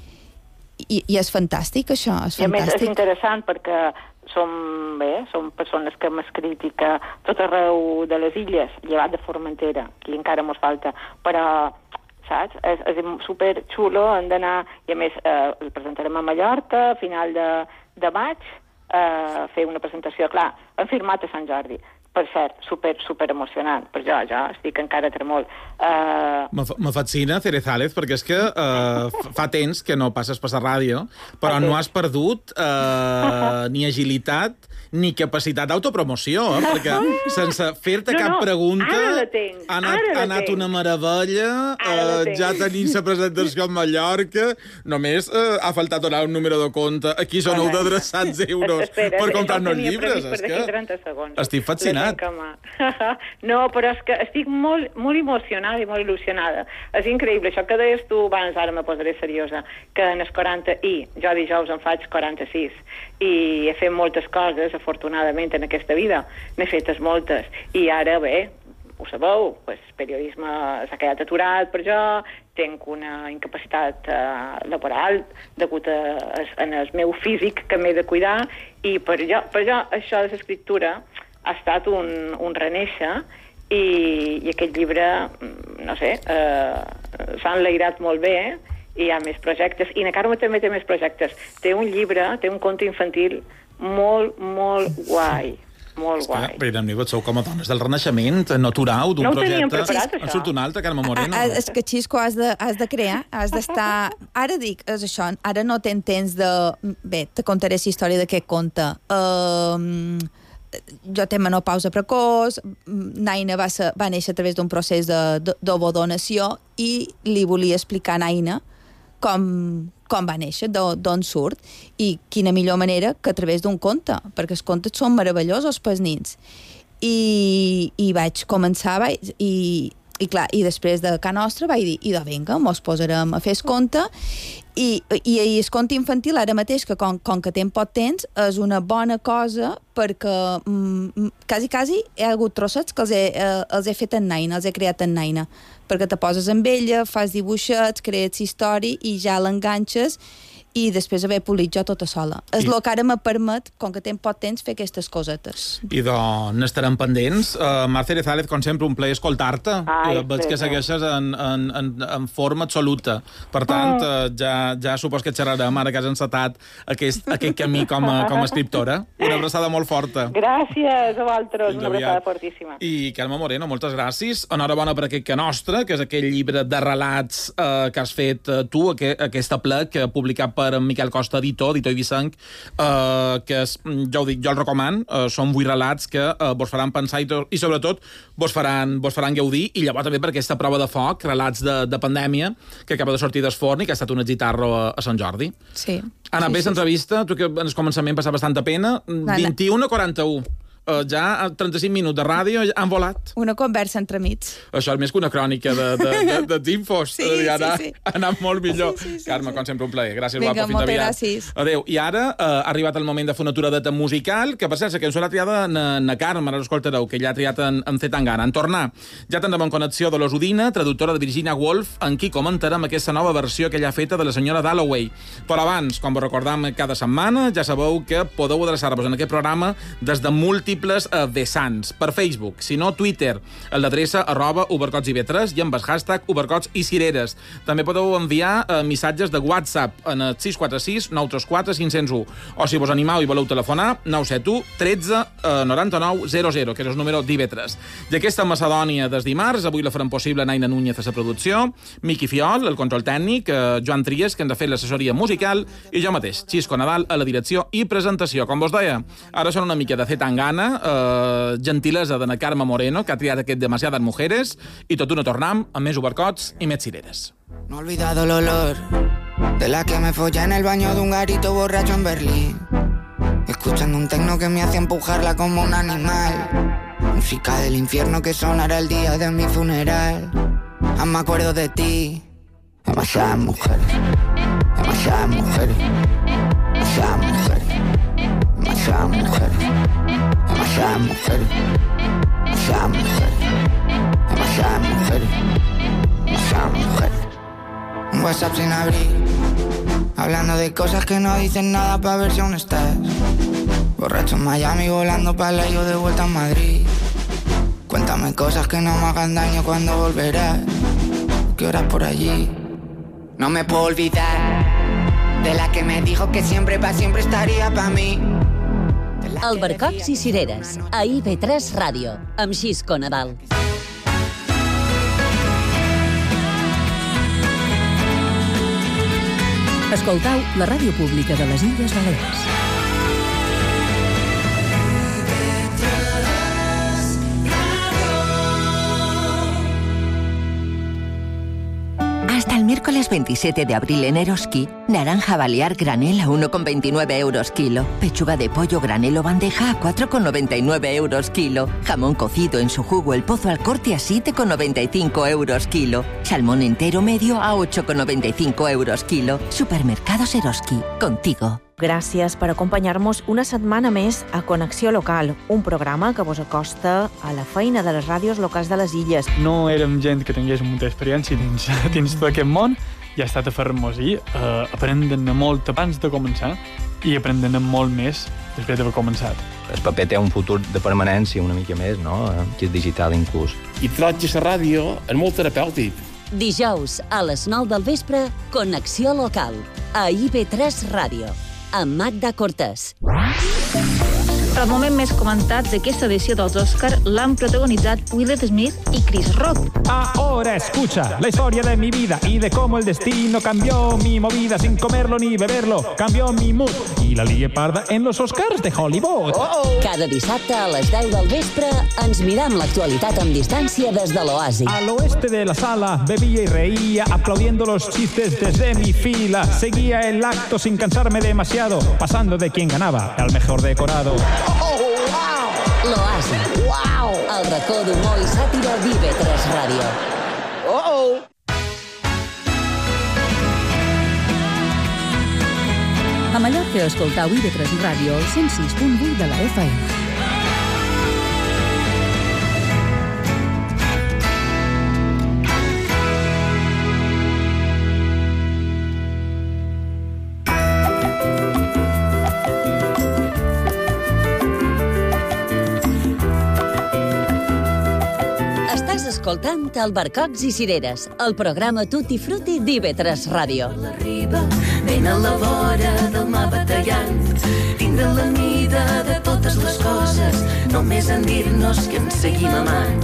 i, i és fantàstic, això, és fantàstic. I a més és interessant perquè som, bé, som persones que hem escrit i que tot arreu de les illes, llevat de Formentera, que encara mos falta, però saps? És, és super xulo, hem d'anar, i a més eh, el presentarem a Mallorca a final de, de maig, eh, fer una presentació, clar, hem firmat a Sant Jordi, per cert, super, super emocionant, per jo, jo estic encara tremol. Uh... Me fascina, Cerezález, perquè és que uh, fa temps que no passes per la ràdio, però no has perdut uh, ni agilitat ni capacitat d'autopromoció, eh? Perquè sense fer-te no, cap no, pregunta ha anat, ha anat una meravella, uh, ja tenim la presentació a Mallorca, només uh, ha faltat donar un número de compte, aquí són bueno, d'adreçats euros espera, per comprar-nos llibres. És que estic fascinat. No, però és que estic molt, molt emocionada i molt il·lusionada. És increïble, això que deies tu abans, ara me posaré seriosa, que en els quaranta i jo dijous en faig quaranta-sis i he fet moltes coses, afortunadament, en aquesta vida. N'he fetes moltes. I ara, bé, ho sabeu, pues, periodisme s'ha quedat aturat per jo, tinc una incapacitat uh, laboral degut a, a, en el meu físic que m'he de cuidar i per jo, per jo això de l'escriptura ha estat un, un renéixer i, i aquest llibre, no sé, eh, s'ha enlairat molt bé, eh? I hi ha més projectes, i na Carme també té més projectes. Té un llibre, té un conte infantil molt, molt guai. Molt és guai. Que, però, amigos, sou com a dones del renaixement, no aturau d'un no projecte. Preparat, en surt un altre, Carme Moreno. A, a, és que, Xisco, has de, has de crear, has d'estar... Ara dic, és això, ara no tens temps de... Bé, te contaré la història d'aquest conte. Uh, jo tenc menopausa precoç, Naina va, ser, va néixer a través d'un procés d'ovodonació i li volia explicar a Naina com, com va néixer, d'on surt, i quina millor manera que a través d'un conte, perquè els contes són meravellosos pels nins. I, i vaig començar, vaig, i, i clar, i després de Can Nostra vaig dir, i de vinga, mos posarem a fer el conte, i, i, i el conte infantil ara mateix, que com, com que ten poc temps, és una bona cosa perquè mm, quasi, quasi he hagut trossets que els he, eh, els he fet en Naina, els he creat en Naina, perquè te poses amb ella, fas dibuixets, crees història i ja l'enganxes i després haver polit jo tota sola. És el que ara me permet, com que tenc poc temps, fer aquestes cosetes. I doncs n'estarem pendents. Uh, Mar Cerezález, com sempre, un plaer escoltar-te. Veig que segueixes en, en, en, en forma absoluta. Per tant, uh, ja, ja supos que xerrarem ara que has encetat aquest, aquest camí com a, com a escriptora. Una abraçada molt forta. Gràcies a vosaltres, una abraçada fortíssima. I Carme Moreno, moltes gràcies. Enhorabona per aquest Que Nostre, que és aquell llibre de relats uh, que has fet uh, tu, aqu aquesta plec que ha publicat per en Miquel Costa, editor, editor Ibisenc, eh, que és, jo ho dic, jo el recomano, eh, són vuit relats que eh, vos faran pensar i, i sobretot vos faran, vos faran gaudir, i llavors també per aquesta prova de foc, relats de, de pandèmia, que acaba de sortir del forn i que ha estat un exitarro a, a Sant Jordi. Sí. Ha anat sí, bé sí, l'entrevista, tu que en el començament passava bastanta pena, vint-i-u a quaranta-u. Uh, ja a trenta-cinc minuts de ràdio han volat. Una conversa entre amics. Això és més que una crònica de, de, de, de d'infos. Sí, I ara sí, sí. ha anat molt millor. Sí, sí, sí, Carme, sí. com sempre, un plaer. Gràcies, Vinga, guapa, fins aviat. gràcies. Adéu. I ara uh, ha arribat el moment de fer una aturada musical, que per cert, la cançó l'ha triada na, na Carme, ara l'escoltareu, que ja ha triat en, en Zetangana. En tornar, ja tindrem en connexió de l'Osudina, traductora de Virginia Woolf, en qui comentarem aquesta nova versió que ella ha feta de la senyora Dalloway. Però abans, com vos recordam cada setmana, ja sabeu que podeu adreçar-vos en aquest programa des de múltiples uh, vessants. Per Facebook, si no Twitter, el d'adreça arroba ubercots i ve tres i amb el hashtag ubercots i cireres. També podeu enviar eh, missatges de WhatsApp en el sis quatre sis nou tres quatre cinc zero u o si vos animau i voleu telefonar nou set u tretze noranta-nou zero zero, que és el número d'I V tres. I aquesta Macedònia des dimarts, avui la farem possible Naina Núñez a la producció, Miqui Fiol, el control tècnic, eh, Joan Tries, que ens ha fet l'assessoria musical, i jo mateix, Xisco Nadal, a la direcció i presentació. Com vos deia, ara són una mica de Zetangana, eh, gentilesa de na Carme Moreno, que ha triat aquest Demasiadas Mujeres, i tot una tornam amb més ubercots i més cireres. No he olvidado el olor de la que me follé en el baño de un garito borracho en Berlín, escuchando un tecno que me hacía empujarla como un animal, música del infierno que sonará el día de mi funeral. Aún me acuerdo de ti. Demasiadas mujeres, demasiadas mujeres, demasiadas mujeres, demasiadas mujeres, demasiadas mujeres, demasiadas mujeres, demasiadas mujeres, demasiadas mujeres. Un WhatsApp sin abrir, hablando de cosas que no dicen nada pa' ver si aún estás. Borracho en Miami, volando pa' la yo de vuelta a Madrid. Cuéntame cosas que no me hagan daño cuando volverás. qué horas por allí. No me puedo olvidar de la que me dijo que siempre pa' siempre estaría pa' mí. Albercocs i cireres, a I V tres Ràdio, amb Xisco Nadal. Escoltau la ràdio pública de les Illes Balears. Hasta el miércoles veintisiete de abril en Eroski, naranja balear granel a uno con veintinueve euros kilo, pechuga de pollo granel o bandeja a cuatro con noventa y nueve euros kilo, jamón cocido en su jugo el pozo al corte a siete con noventa y cinco euros kilo, salmón entero medio a ocho con noventa y cinco euros kilo. Supermercados Eroski, contigo. Gràcies per acompanyar-nos una setmana més a Connexió Local, un programa que vos acosta a la feina de les ràdios locals de les illes. No érem gent que tingués molta experiència dins, dins tot aquest món i ha estat a fer-nos i eh, aprendre molt abans de començar i aprendre molt més després d'haver començat. El paper té un futur de permanència una mica més, no? Que és digital inclús. I troig a la ràdio és molt terapèutic. Dijous a les nou del vespre, Connexió Local, a I V tres Ràdio, amb Magda Cortés. El moment més comentat d'aquesta edició dels Òscar l'han protagonitzat Will Smith i Chris Rock. Ahora escucha la historia de mi vida y de cómo el destino cambió mi movida sin comerlo ni beberlo, cambió mi mood y la lié parda en los Oscars de Hollywood. Oh, oh. Cada dissabte a les deu del vespre ens mirem l'actualitat amb distància des de l'Oasi. Al oeste de la sala bebía y reía aplaudiendo los chistes desde mi fila. Seguía el acto sin cansarme demasiado, pasando de quien ganaba al mejor decorado. Oh, wow! L'Oasi. Wow! El racó d'humor i sàtira d'I V tres Ràdio. Oh, oh! A Mallorca escoltau I V tres Ràdio al cent sis punt vuit de la F M. Escoltant Albercocs i cireres, el programa Tutti Frutti d'I V tres Ràdio. Arriba, ben a la vora del mar batallant, tindre la mida de totes les coses, només en dir-nos que ens seguim amant.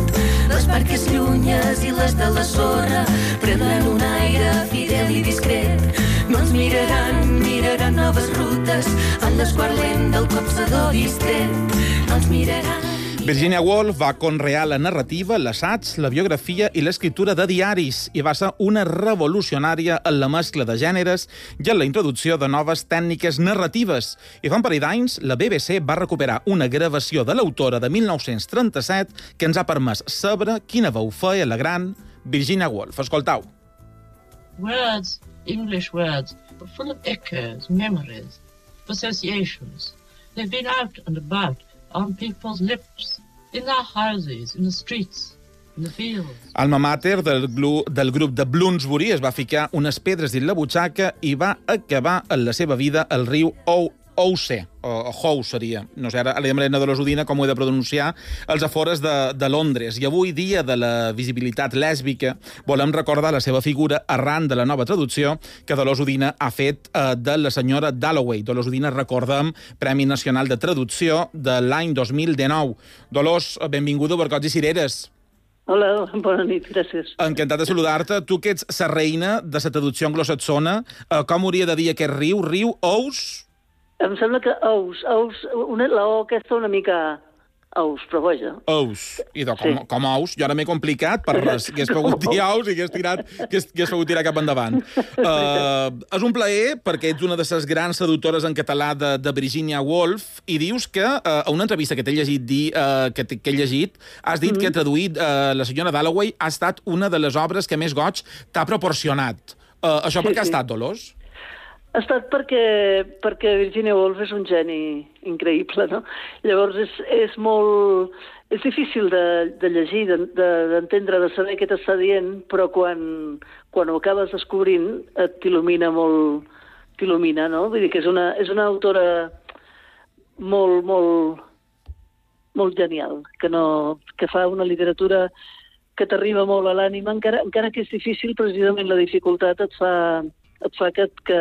Les barques llunyes i les de la sorra prendran un aire fidel i discret. No ens miraran, miraran noves rutes en l'esguarlent del copsador distret. No ens miraran. Virginia Woolf va conrear la narrativa, l'assaig, la biografia i l'escriptura de diaris i va ser una revolucionària en la mescla de gèneres i en la introducció de noves tècniques narratives. I fa un parell d'anys, la B B C va recuperar una gravació de l'autora de mil nou-cents trenta-set que ens ha permès saber quina veu feia la gran Virginia Woolf. Escoltau. Words, English words, are full of echoes, memories, associations. They've been out and about on people's lips, in their houses, in the streets, in the fields. Alma mater del, glu, del grup de Bloomsbury es va ficar unes pedres dins la butxaca i va acabar en la seva vida al riu Ouse, o Hou seria, no sé, ara a la Marina de l'Osodina com ho he de pronunciar, als afores de, de Londres. I avui, dia de la visibilitat lèsbica, volem recordar la seva figura arran de la nova traducció que Dolors Udina ha fet eh, de la senyora Dalloway. Dolors Udina, recordem, Premi Nacional de Traducció de l'any dos mil dinou. Dolors, benvinguda a Barcots i Cireres. Hola, bona nit, gràcies. Encantat de saludar-te. Tu que ets la reina de la traducció anglosaxona, eh, com hauria de dir aquest riu? Riu Ous? Em sembla que ous, ous, una, la O aquesta una mica ous, però vaja. Ous. I de, com, sí. com ous, jo ara m'he complicat per res. Hagués pogut dir ous i hagués tirat, hagués, hagués pogut tirar cap endavant. Uh, és un plaer perquè ets una de les grans traductores en català de, de Virginia Woolf i dius que uh, a una entrevista que t'he llegit dir, uh, que, que he llegit, has dit mm-hmm. que traduït uh, la senyora Dalloway ha estat una de les obres que més goig t'ha proporcionat. Uh, això sí, per què sí. ha estat, Dolors? Ha estat perquè, perquè Virginia Woolf és un geni increïble, no? Llavors és, és molt... És difícil de, de llegir, d'entendre, de, de saber què t'està dient, però quan, quan ho acabes descobrint et t'il·lumina molt... T'il·lumina, no? Vull dir que és una, és una autora molt, molt, molt genial, que, no, que fa una literatura que t'arriba molt a l'ànima, encara, encara que és difícil, precisament la dificultat et fa, et fa que, que,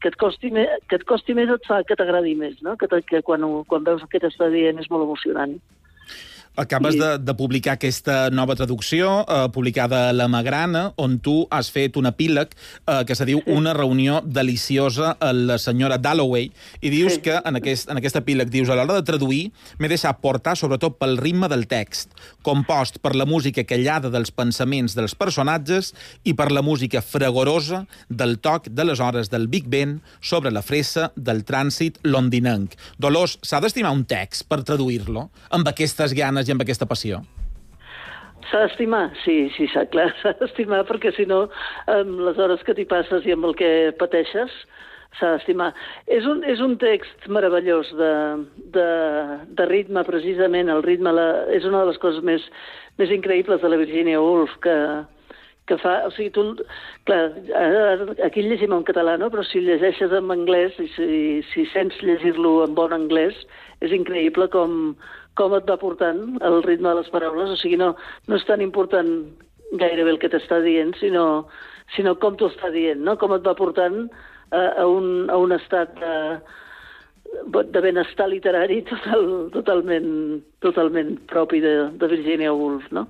que, et costi més, que et costi més, et fa que t'agradi més, no? Que, que quan, quan veus el que t'està dient és molt emocionant. Acabes de, de publicar aquesta nova traducció, eh, publicada a La Magrana, on tu has fet un epíleg eh, que se diu sí. Una reunió deliciosa a la senyora Dalloway, i dius sí. que en aquest, en aquest epíleg dius, a l'hora de traduir m'he deixat portar sobretot pel ritme del text, compost per la música callada dels pensaments dels personatges i per la música fragorosa del toc de les hores del Big Ben sobre la fressa del trànsit londinenc. Dolors, s'ha d'estimar un text per traduir-lo amb aquestes ganes i amb aquesta passió? S'ha d'estimar, sí, sí, clar, s'ha d'estimar, perquè si no, amb les hores que t'hi passes i amb el que pateixes, s'ha d'estimar. És un, és un text meravellós de, de, de ritme, precisament. El ritme la, és una de les coses més, més increïbles de la Virginia Woolf, que, que fa... O sigui, tu... Clar, aquí el llegim en català, no? Però si llegeixes en anglès, i si, si sents llegir-lo en bon anglès, és increïble com... com et va portant el ritme de les paraules. O sigui, no, no és tan important gairebé el que t'està dient, sinó, sinó com t'ho està dient, no? Com et va portant a, a, un, a un estat de, de benestar literari total, totalment, totalment propi de, de Virginia Woolf, no?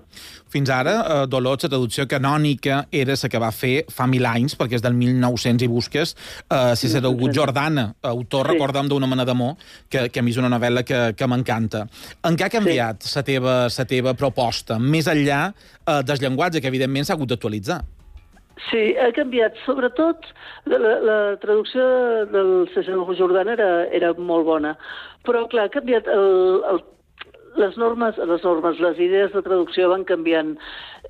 Fins ara, eh, Dolors, la traducció canònica era la que va fer fa mil anys, perquè és del mil nou-cents i busques, eh, si s'ha degut Jordana, autor, sí. Recorda'm, d'Una mena d'amor, que, que a mi és una novel·la que, que m'encanta. En què ha canviat sí. la, teva, la teva proposta, més enllà eh, del llenguatge, que evidentment s'ha hagut d'actualitzar? Sí, ha canviat. Sobretot, la, la traducció del César Jordana era, era molt bona, però, clar, ha canviat el... el Les normes, les normes, les idees de traducció van canviant.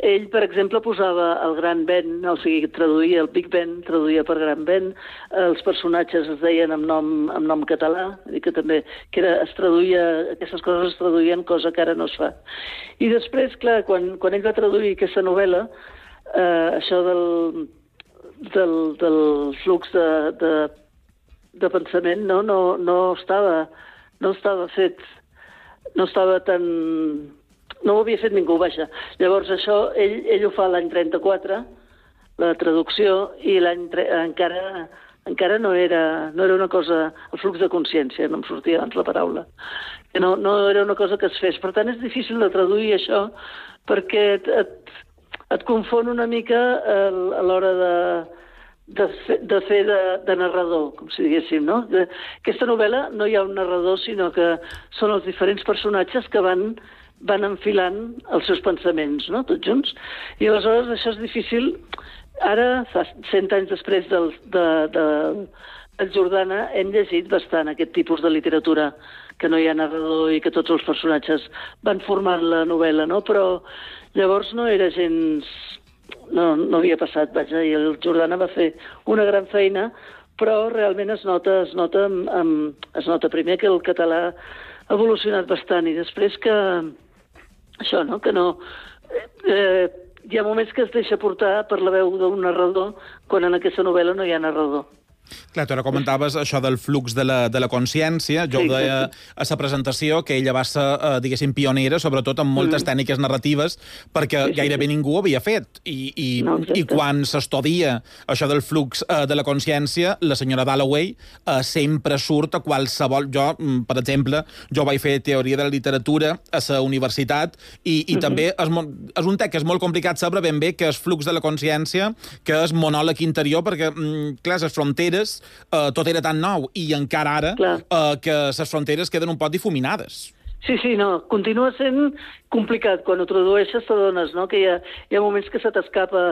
Ell, per exemple, posava el Gran Ben, o sigui, traduïa el Big Ben, traduïa per Gran Ben, els personatges es deien amb nom, amb nom català, i que també que era, es traduïa, aquestes coses es traduïen, cosa que ara no es fa. I després, clar, quan, quan ell va traduir aquesta novel·la, eh, això del, del, del flux de, de, de pensament no, no, no, estava, no estava fet... no estava tan... no ho havia fet ningú, vaja. Llavors això, ell, ell ho fa l'any trenta-quatre, la traducció, i l'any tre... encara, encara no, era, no era una cosa... el flux de consciència, no em sortia abans la paraula. Que no, no era una cosa que es fes. Per tant, és difícil de traduir això, perquè et, et, et confon una mica a l'hora de... de fer, de, fer de, de narrador, com si diguéssim, no? De, aquesta novel·la no hi ha un narrador, sinó que són els diferents personatges que van, van enfilant els seus pensaments, no? Tots junts. I aleshores això és difícil. Ara, fa cent anys després del, de, de, del Jordana, hem llegit bastant aquest tipus de literatura, que no hi ha narrador i que tots els personatges van formant la novel·la, no? Però llavors no era gens... No, no havia passat, vaja, i el Jordana va fer una gran feina, però realment es nota, es nota, amb, es nota primer que el català ha evolucionat bastant, i després que això, no?, que no... Eh, hi ha moments que es deixa portar per la veu d'un narrador, quan en aquesta novel·la no hi ha narrador. Clar, tu ara comentaves això del flux de la, de la consciència. Jo sí, ho deia sí. a la presentació, que ella va ser, eh, diguéssim, pionera, sobretot amb moltes mm. tècniques narratives, perquè sí, sí, gairebé sí. ningú ho havia fet. I, i, no, i quan s'estudia això del flux eh, de la consciència, la senyora Dalloway eh, sempre surt a qualsevol... Jo, per exemple, jo vaig fer teoria de la literatura a la universitat, i, i mm-hmm. també és, és un text que és molt complicat saber ben bé que és flux de la consciència, que és monòleg interior, perquè, mm, clar, les fronteres Uh, tot era tan nou, i encara ara uh, que les fronteres queden un poc difuminades. Sí, sí, no, continua sent complicat. Quan ho tradueixes t'adones, no?, que hi ha, hi ha moments que se t'escapa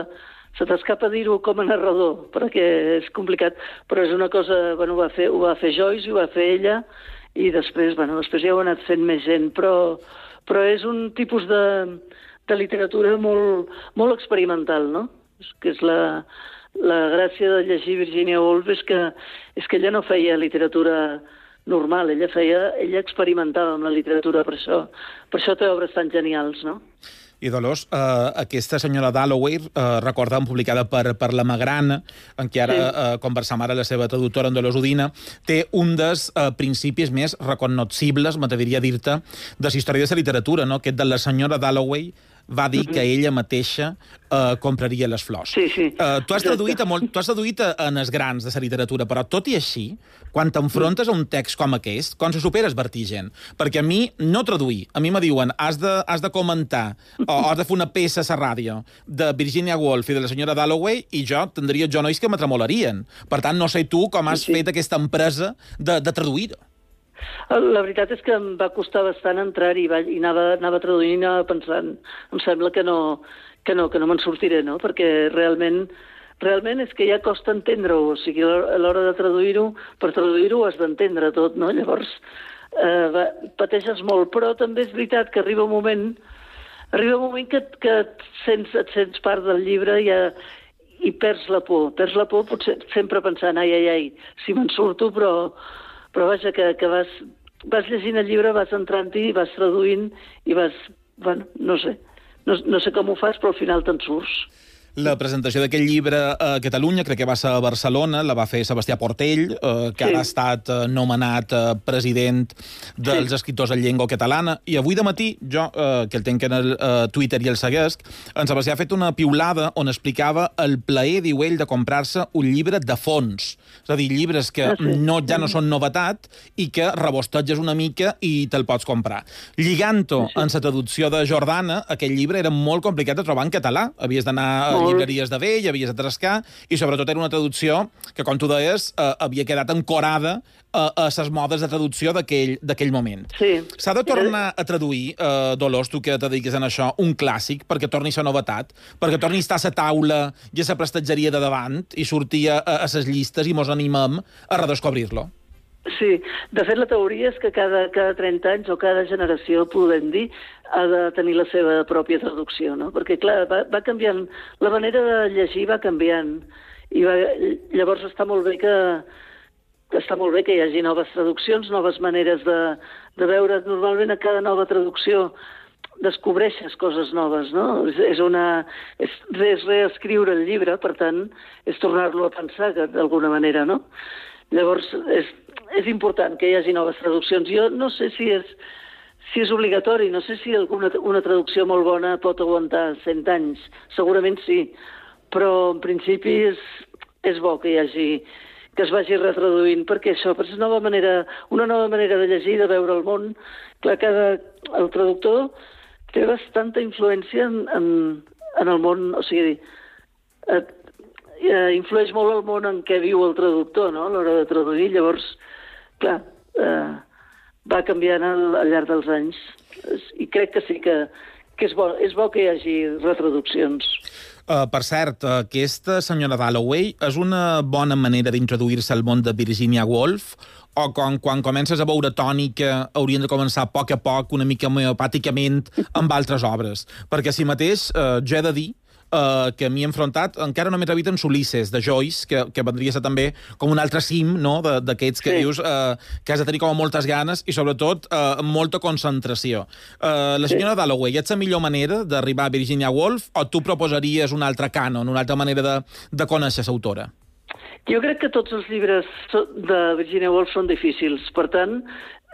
se t'escapa dir-ho com a narrador, perquè és complicat, però és una cosa... Bueno, ho va fer, ho va fer Joyce, ho va fer ella, i després, bueno, després ja ho ha anat fent més gent, però, però és un tipus de, de literatura molt, molt experimental, no?, que és la... La gràcia de llegir Virginia Woolf és que, és que ella no feia literatura normal, ella feia, ella experimentava amb la literatura, per això, per això té obres tan genials, no? I Dolors, eh, aquesta senyora Dalloway, eh, recordem, publicada per, per La Magrana, en què ara sí. eh, conversam ara la seva traductora, en Dolors Udina, té un dels eh, principis més recognoscibles, m'atreviria a dir-te, de la història de la literatura, no?, aquest de la senyora Dalloway va dir que ella mateixa eh, compraria les flors. Sí, sí. Eh, tu has traduït, a molt, tu has traduït a, en els grans de la literatura, però tot i així, quan t'enfrontes a un text com aquest, quan se superes vertigen. Perquè a mi, no traduir, a mi me diuen has de, has de comentar o has de fer una peça a la ràdio de Virginia Woolf i de la senyora Dalloway i jo tindria genolls que me tremolarien. Per tant, no sé tu com has sí, sí. fet aquesta empresa de, de traduir-ho. La veritat és que em va costar bastant entrar-hi i, i anava, anava traduint i anava pensant, em sembla que no, que no, que no me'n sortiré, no? Perquè realment, realment és que ja costa entendre-ho, o sigui, a l'hora de traduir-ho, per traduir-ho has d'entendre tot, no? Llavors, eh, va, pateixes molt, però també és veritat que arriba un moment, arriba un moment que, que et, sents, et sents part del llibre i, ja, i perds la por, perds la por potser sempre pensant, ai, ai, ai, si me'n surto, però... Però vaja, que, que vas, vas llegint el llibre, vas entrant-hi, vas traduint i vas... Bueno, no sé. No, no sé com ho fas, però al final te'n surts. La presentació d'aquest llibre a Catalunya, crec que va ser a Barcelona, la va fer Sebastià Portell, eh, que sí. ara ha estat eh, nomenat eh, president dels sí. escriptors en llengua catalana, i avui de matí, jo, eh, que el tenc en el eh, Twitter i el seguesc, en Sebastià ha fet una piulada on explicava el plaer, diu ell, de comprar-se un llibre de fons. És a dir, llibres que ah, sí. no, ja no són novetat i que rebosteges una mica i te'l pots comprar. Lligant-ho sí, sí. en la traducció de Jordana, aquest llibre era molt complicat de trobar en català. Havies d'anar a llibreries de vell, havies de trascar, i sobretot era una traducció que, com tu deies, eh, havia quedat ancorada a, a les modes de traducció d'aquell moment. Sí. S'ha de tornar a traduir, eh, Dolors, tu que te dediques en això, un clàssic, perquè torni a ser novetat, perquè torni a estar a la taula i a la prestatgeria de davant i sortir a, a les llistes i mos animem a redescobrir-lo. Sí, de fet la teoria és que cada, cada trenta anys o cada generació, podem dir, ha de tenir la seva pròpia traducció, no? Perquè, clar, va, va canviant, la manera de llegir va canviant, i va, llavors està molt bé que, que està molt bé que hi hagi noves traduccions, noves maneres de, de veure. Normalment a cada nova traducció descobreixes coses noves, no? És, és, una, és, és reescriure el llibre, per tant, és tornar-lo a pensar d'alguna manera, no? Llavors, és, és important que hi hagi noves traduccions. Jo no sé si és, si és obligatori, no sé si alguna una traducció molt bona pot aguantar cent anys. Segurament sí, però en principi és, és bo que hi hagi, que es vagi retraduint, perquè això és una nova manera, una nova manera de llegir, de veure el món. Clar, cada, el traductor té bastanta influència en, en, en el món, o sigui, et, eh, influeix molt el món en què viu el traductor, no?, a l'hora de traduir. Llavors, clar, eh, va canviant al, al llarg dels anys. I crec que sí, que, que és, bo, és bo que hi hagi retraduccions. Uh, per cert, aquesta senyora Dalloway és una bona manera d'introduir-se al món de Virginia Woolf, o quan, quan comences a veure tònica haurien de començar a poc a poc, una mica homeopàticament, amb altres obres? Perquè si mateix, uh, jo he de dir Uh, que m'hi he enfrontat, encara només he vist en Ulisses, de Joyce, que, que vendria a ser també com un altre cim, no?, d'aquests que sí. dius uh, que has de tenir com moltes ganes i, sobretot, uh, molta concentració. Uh, la senyora sí. Dalloway, és la millor manera d'arribar a Virginia Woolf o tu proposaries un altre cànon, una altra manera de, de conèixer l'autora? Jo crec que tots els llibres de Virginia Woolf són difícils, per tant,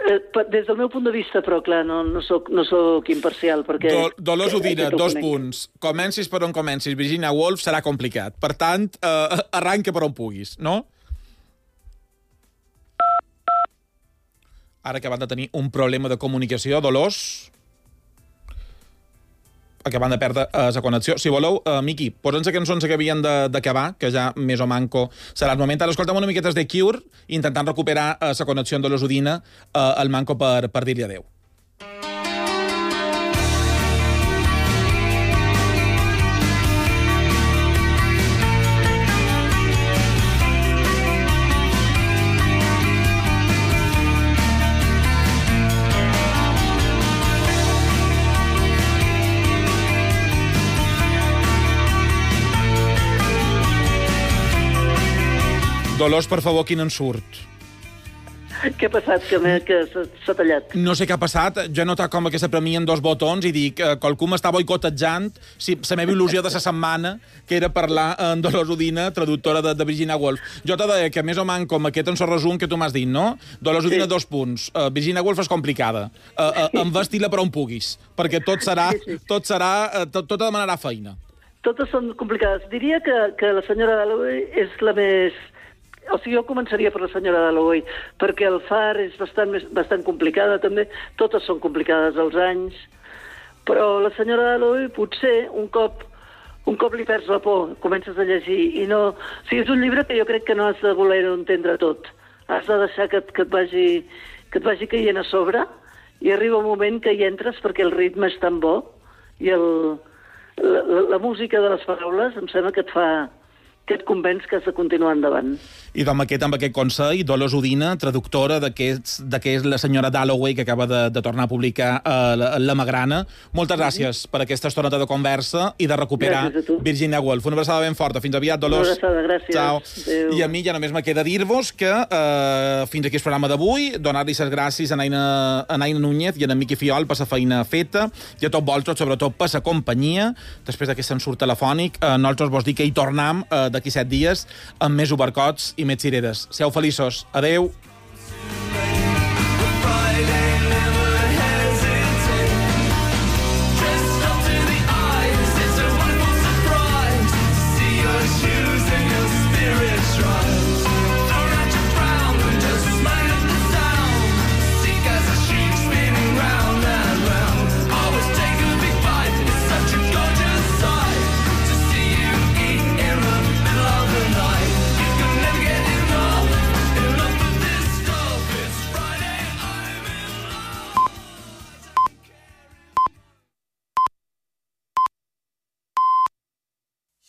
eh, des del meu punt de vista, però clar, no, no, soc, no soc imparcial, perquè... Do, Dolors Udina, dos punts. Comencis per on comencis, Virginia Woolf serà complicat. Per tant, eh, arranca per on puguis, no? Ara que van de tenir un problema de comunicació, Dolors... acabant de perdre uh, la connexió. Si voleu, uh, Miqui, posa'ns la cançó que havien d'acabar, que ja més o manco serà el moment. Ara escoltem una miqueta de Cure, intentant recuperar uh, la connexió amb Dolors Udina, uh, el manco per, per dir-li adeu. Dolors, per favor, quin en surt? Què ha passat? Que, que s'ha tallat? No sé què ha passat. Jo he notat com que se premien dos botons i dic que qualcú m'està boicotejant si, la meva il·lusió de la setmana, que era parlar amb Dolors Udina, traductora de, de Virginia Woolf. Jo t'he de dir que més o menys com aquest en so resum que tu m'has dit, no? Dolors Udina, sí. dos punts. Uh, Virginia Woolf és complicada. Uh, uh, Envestila per on puguis, perquè tot serà, sí, sí. tot serà, uh, tot, tot demanarà feina. Totes són complicades. Diria que, que la senyora Dalloway és la més... O sigui, jo començaria per la senyora Dalloway, perquè el Far és bastant, més, bastant complicada, també. Totes són complicades als anys. Però la senyora Dalloway potser un cop, un cop li perds la por, comences a llegir i no... O sigui, és un llibre que jo crec que no has de voler-ho entendre tot. Has de deixar que, que, et vagi, que et vagi caient a sobre i arriba un moment que hi entres perquè el ritme és tan bo i el, la, la, la música de les paraules em sembla que et fa... que et convenç que has de continuar endavant. I amb aquest, amb aquest consell, Dolors Udina, traductora de què és la senyora Dalloway, que acaba de, de tornar a publicar uh, la, la Magrana. Moltes gràcies mm-hmm. per aquesta estoneta de conversa i de recuperar Virginia Woolf. Una abraçada ben forta. Fins aviat, Dolors. Una abraçada, gràcies. Ciao. Adéu. I a mi ja només me queda dir-vos que uh, fins aquí el programa d'avui, donar-li les gràcies a Naina, a Naina Núñez i a en Miqui Fiol per la feina feta i a tots vosaltres, sobretot per la companyia. Després d'aquest ensurt telefònic, uh, nosaltres vos dic que hi tornem uh, d'aquí set dies amb més obercots i més cireres. Seu feliços. Adeu.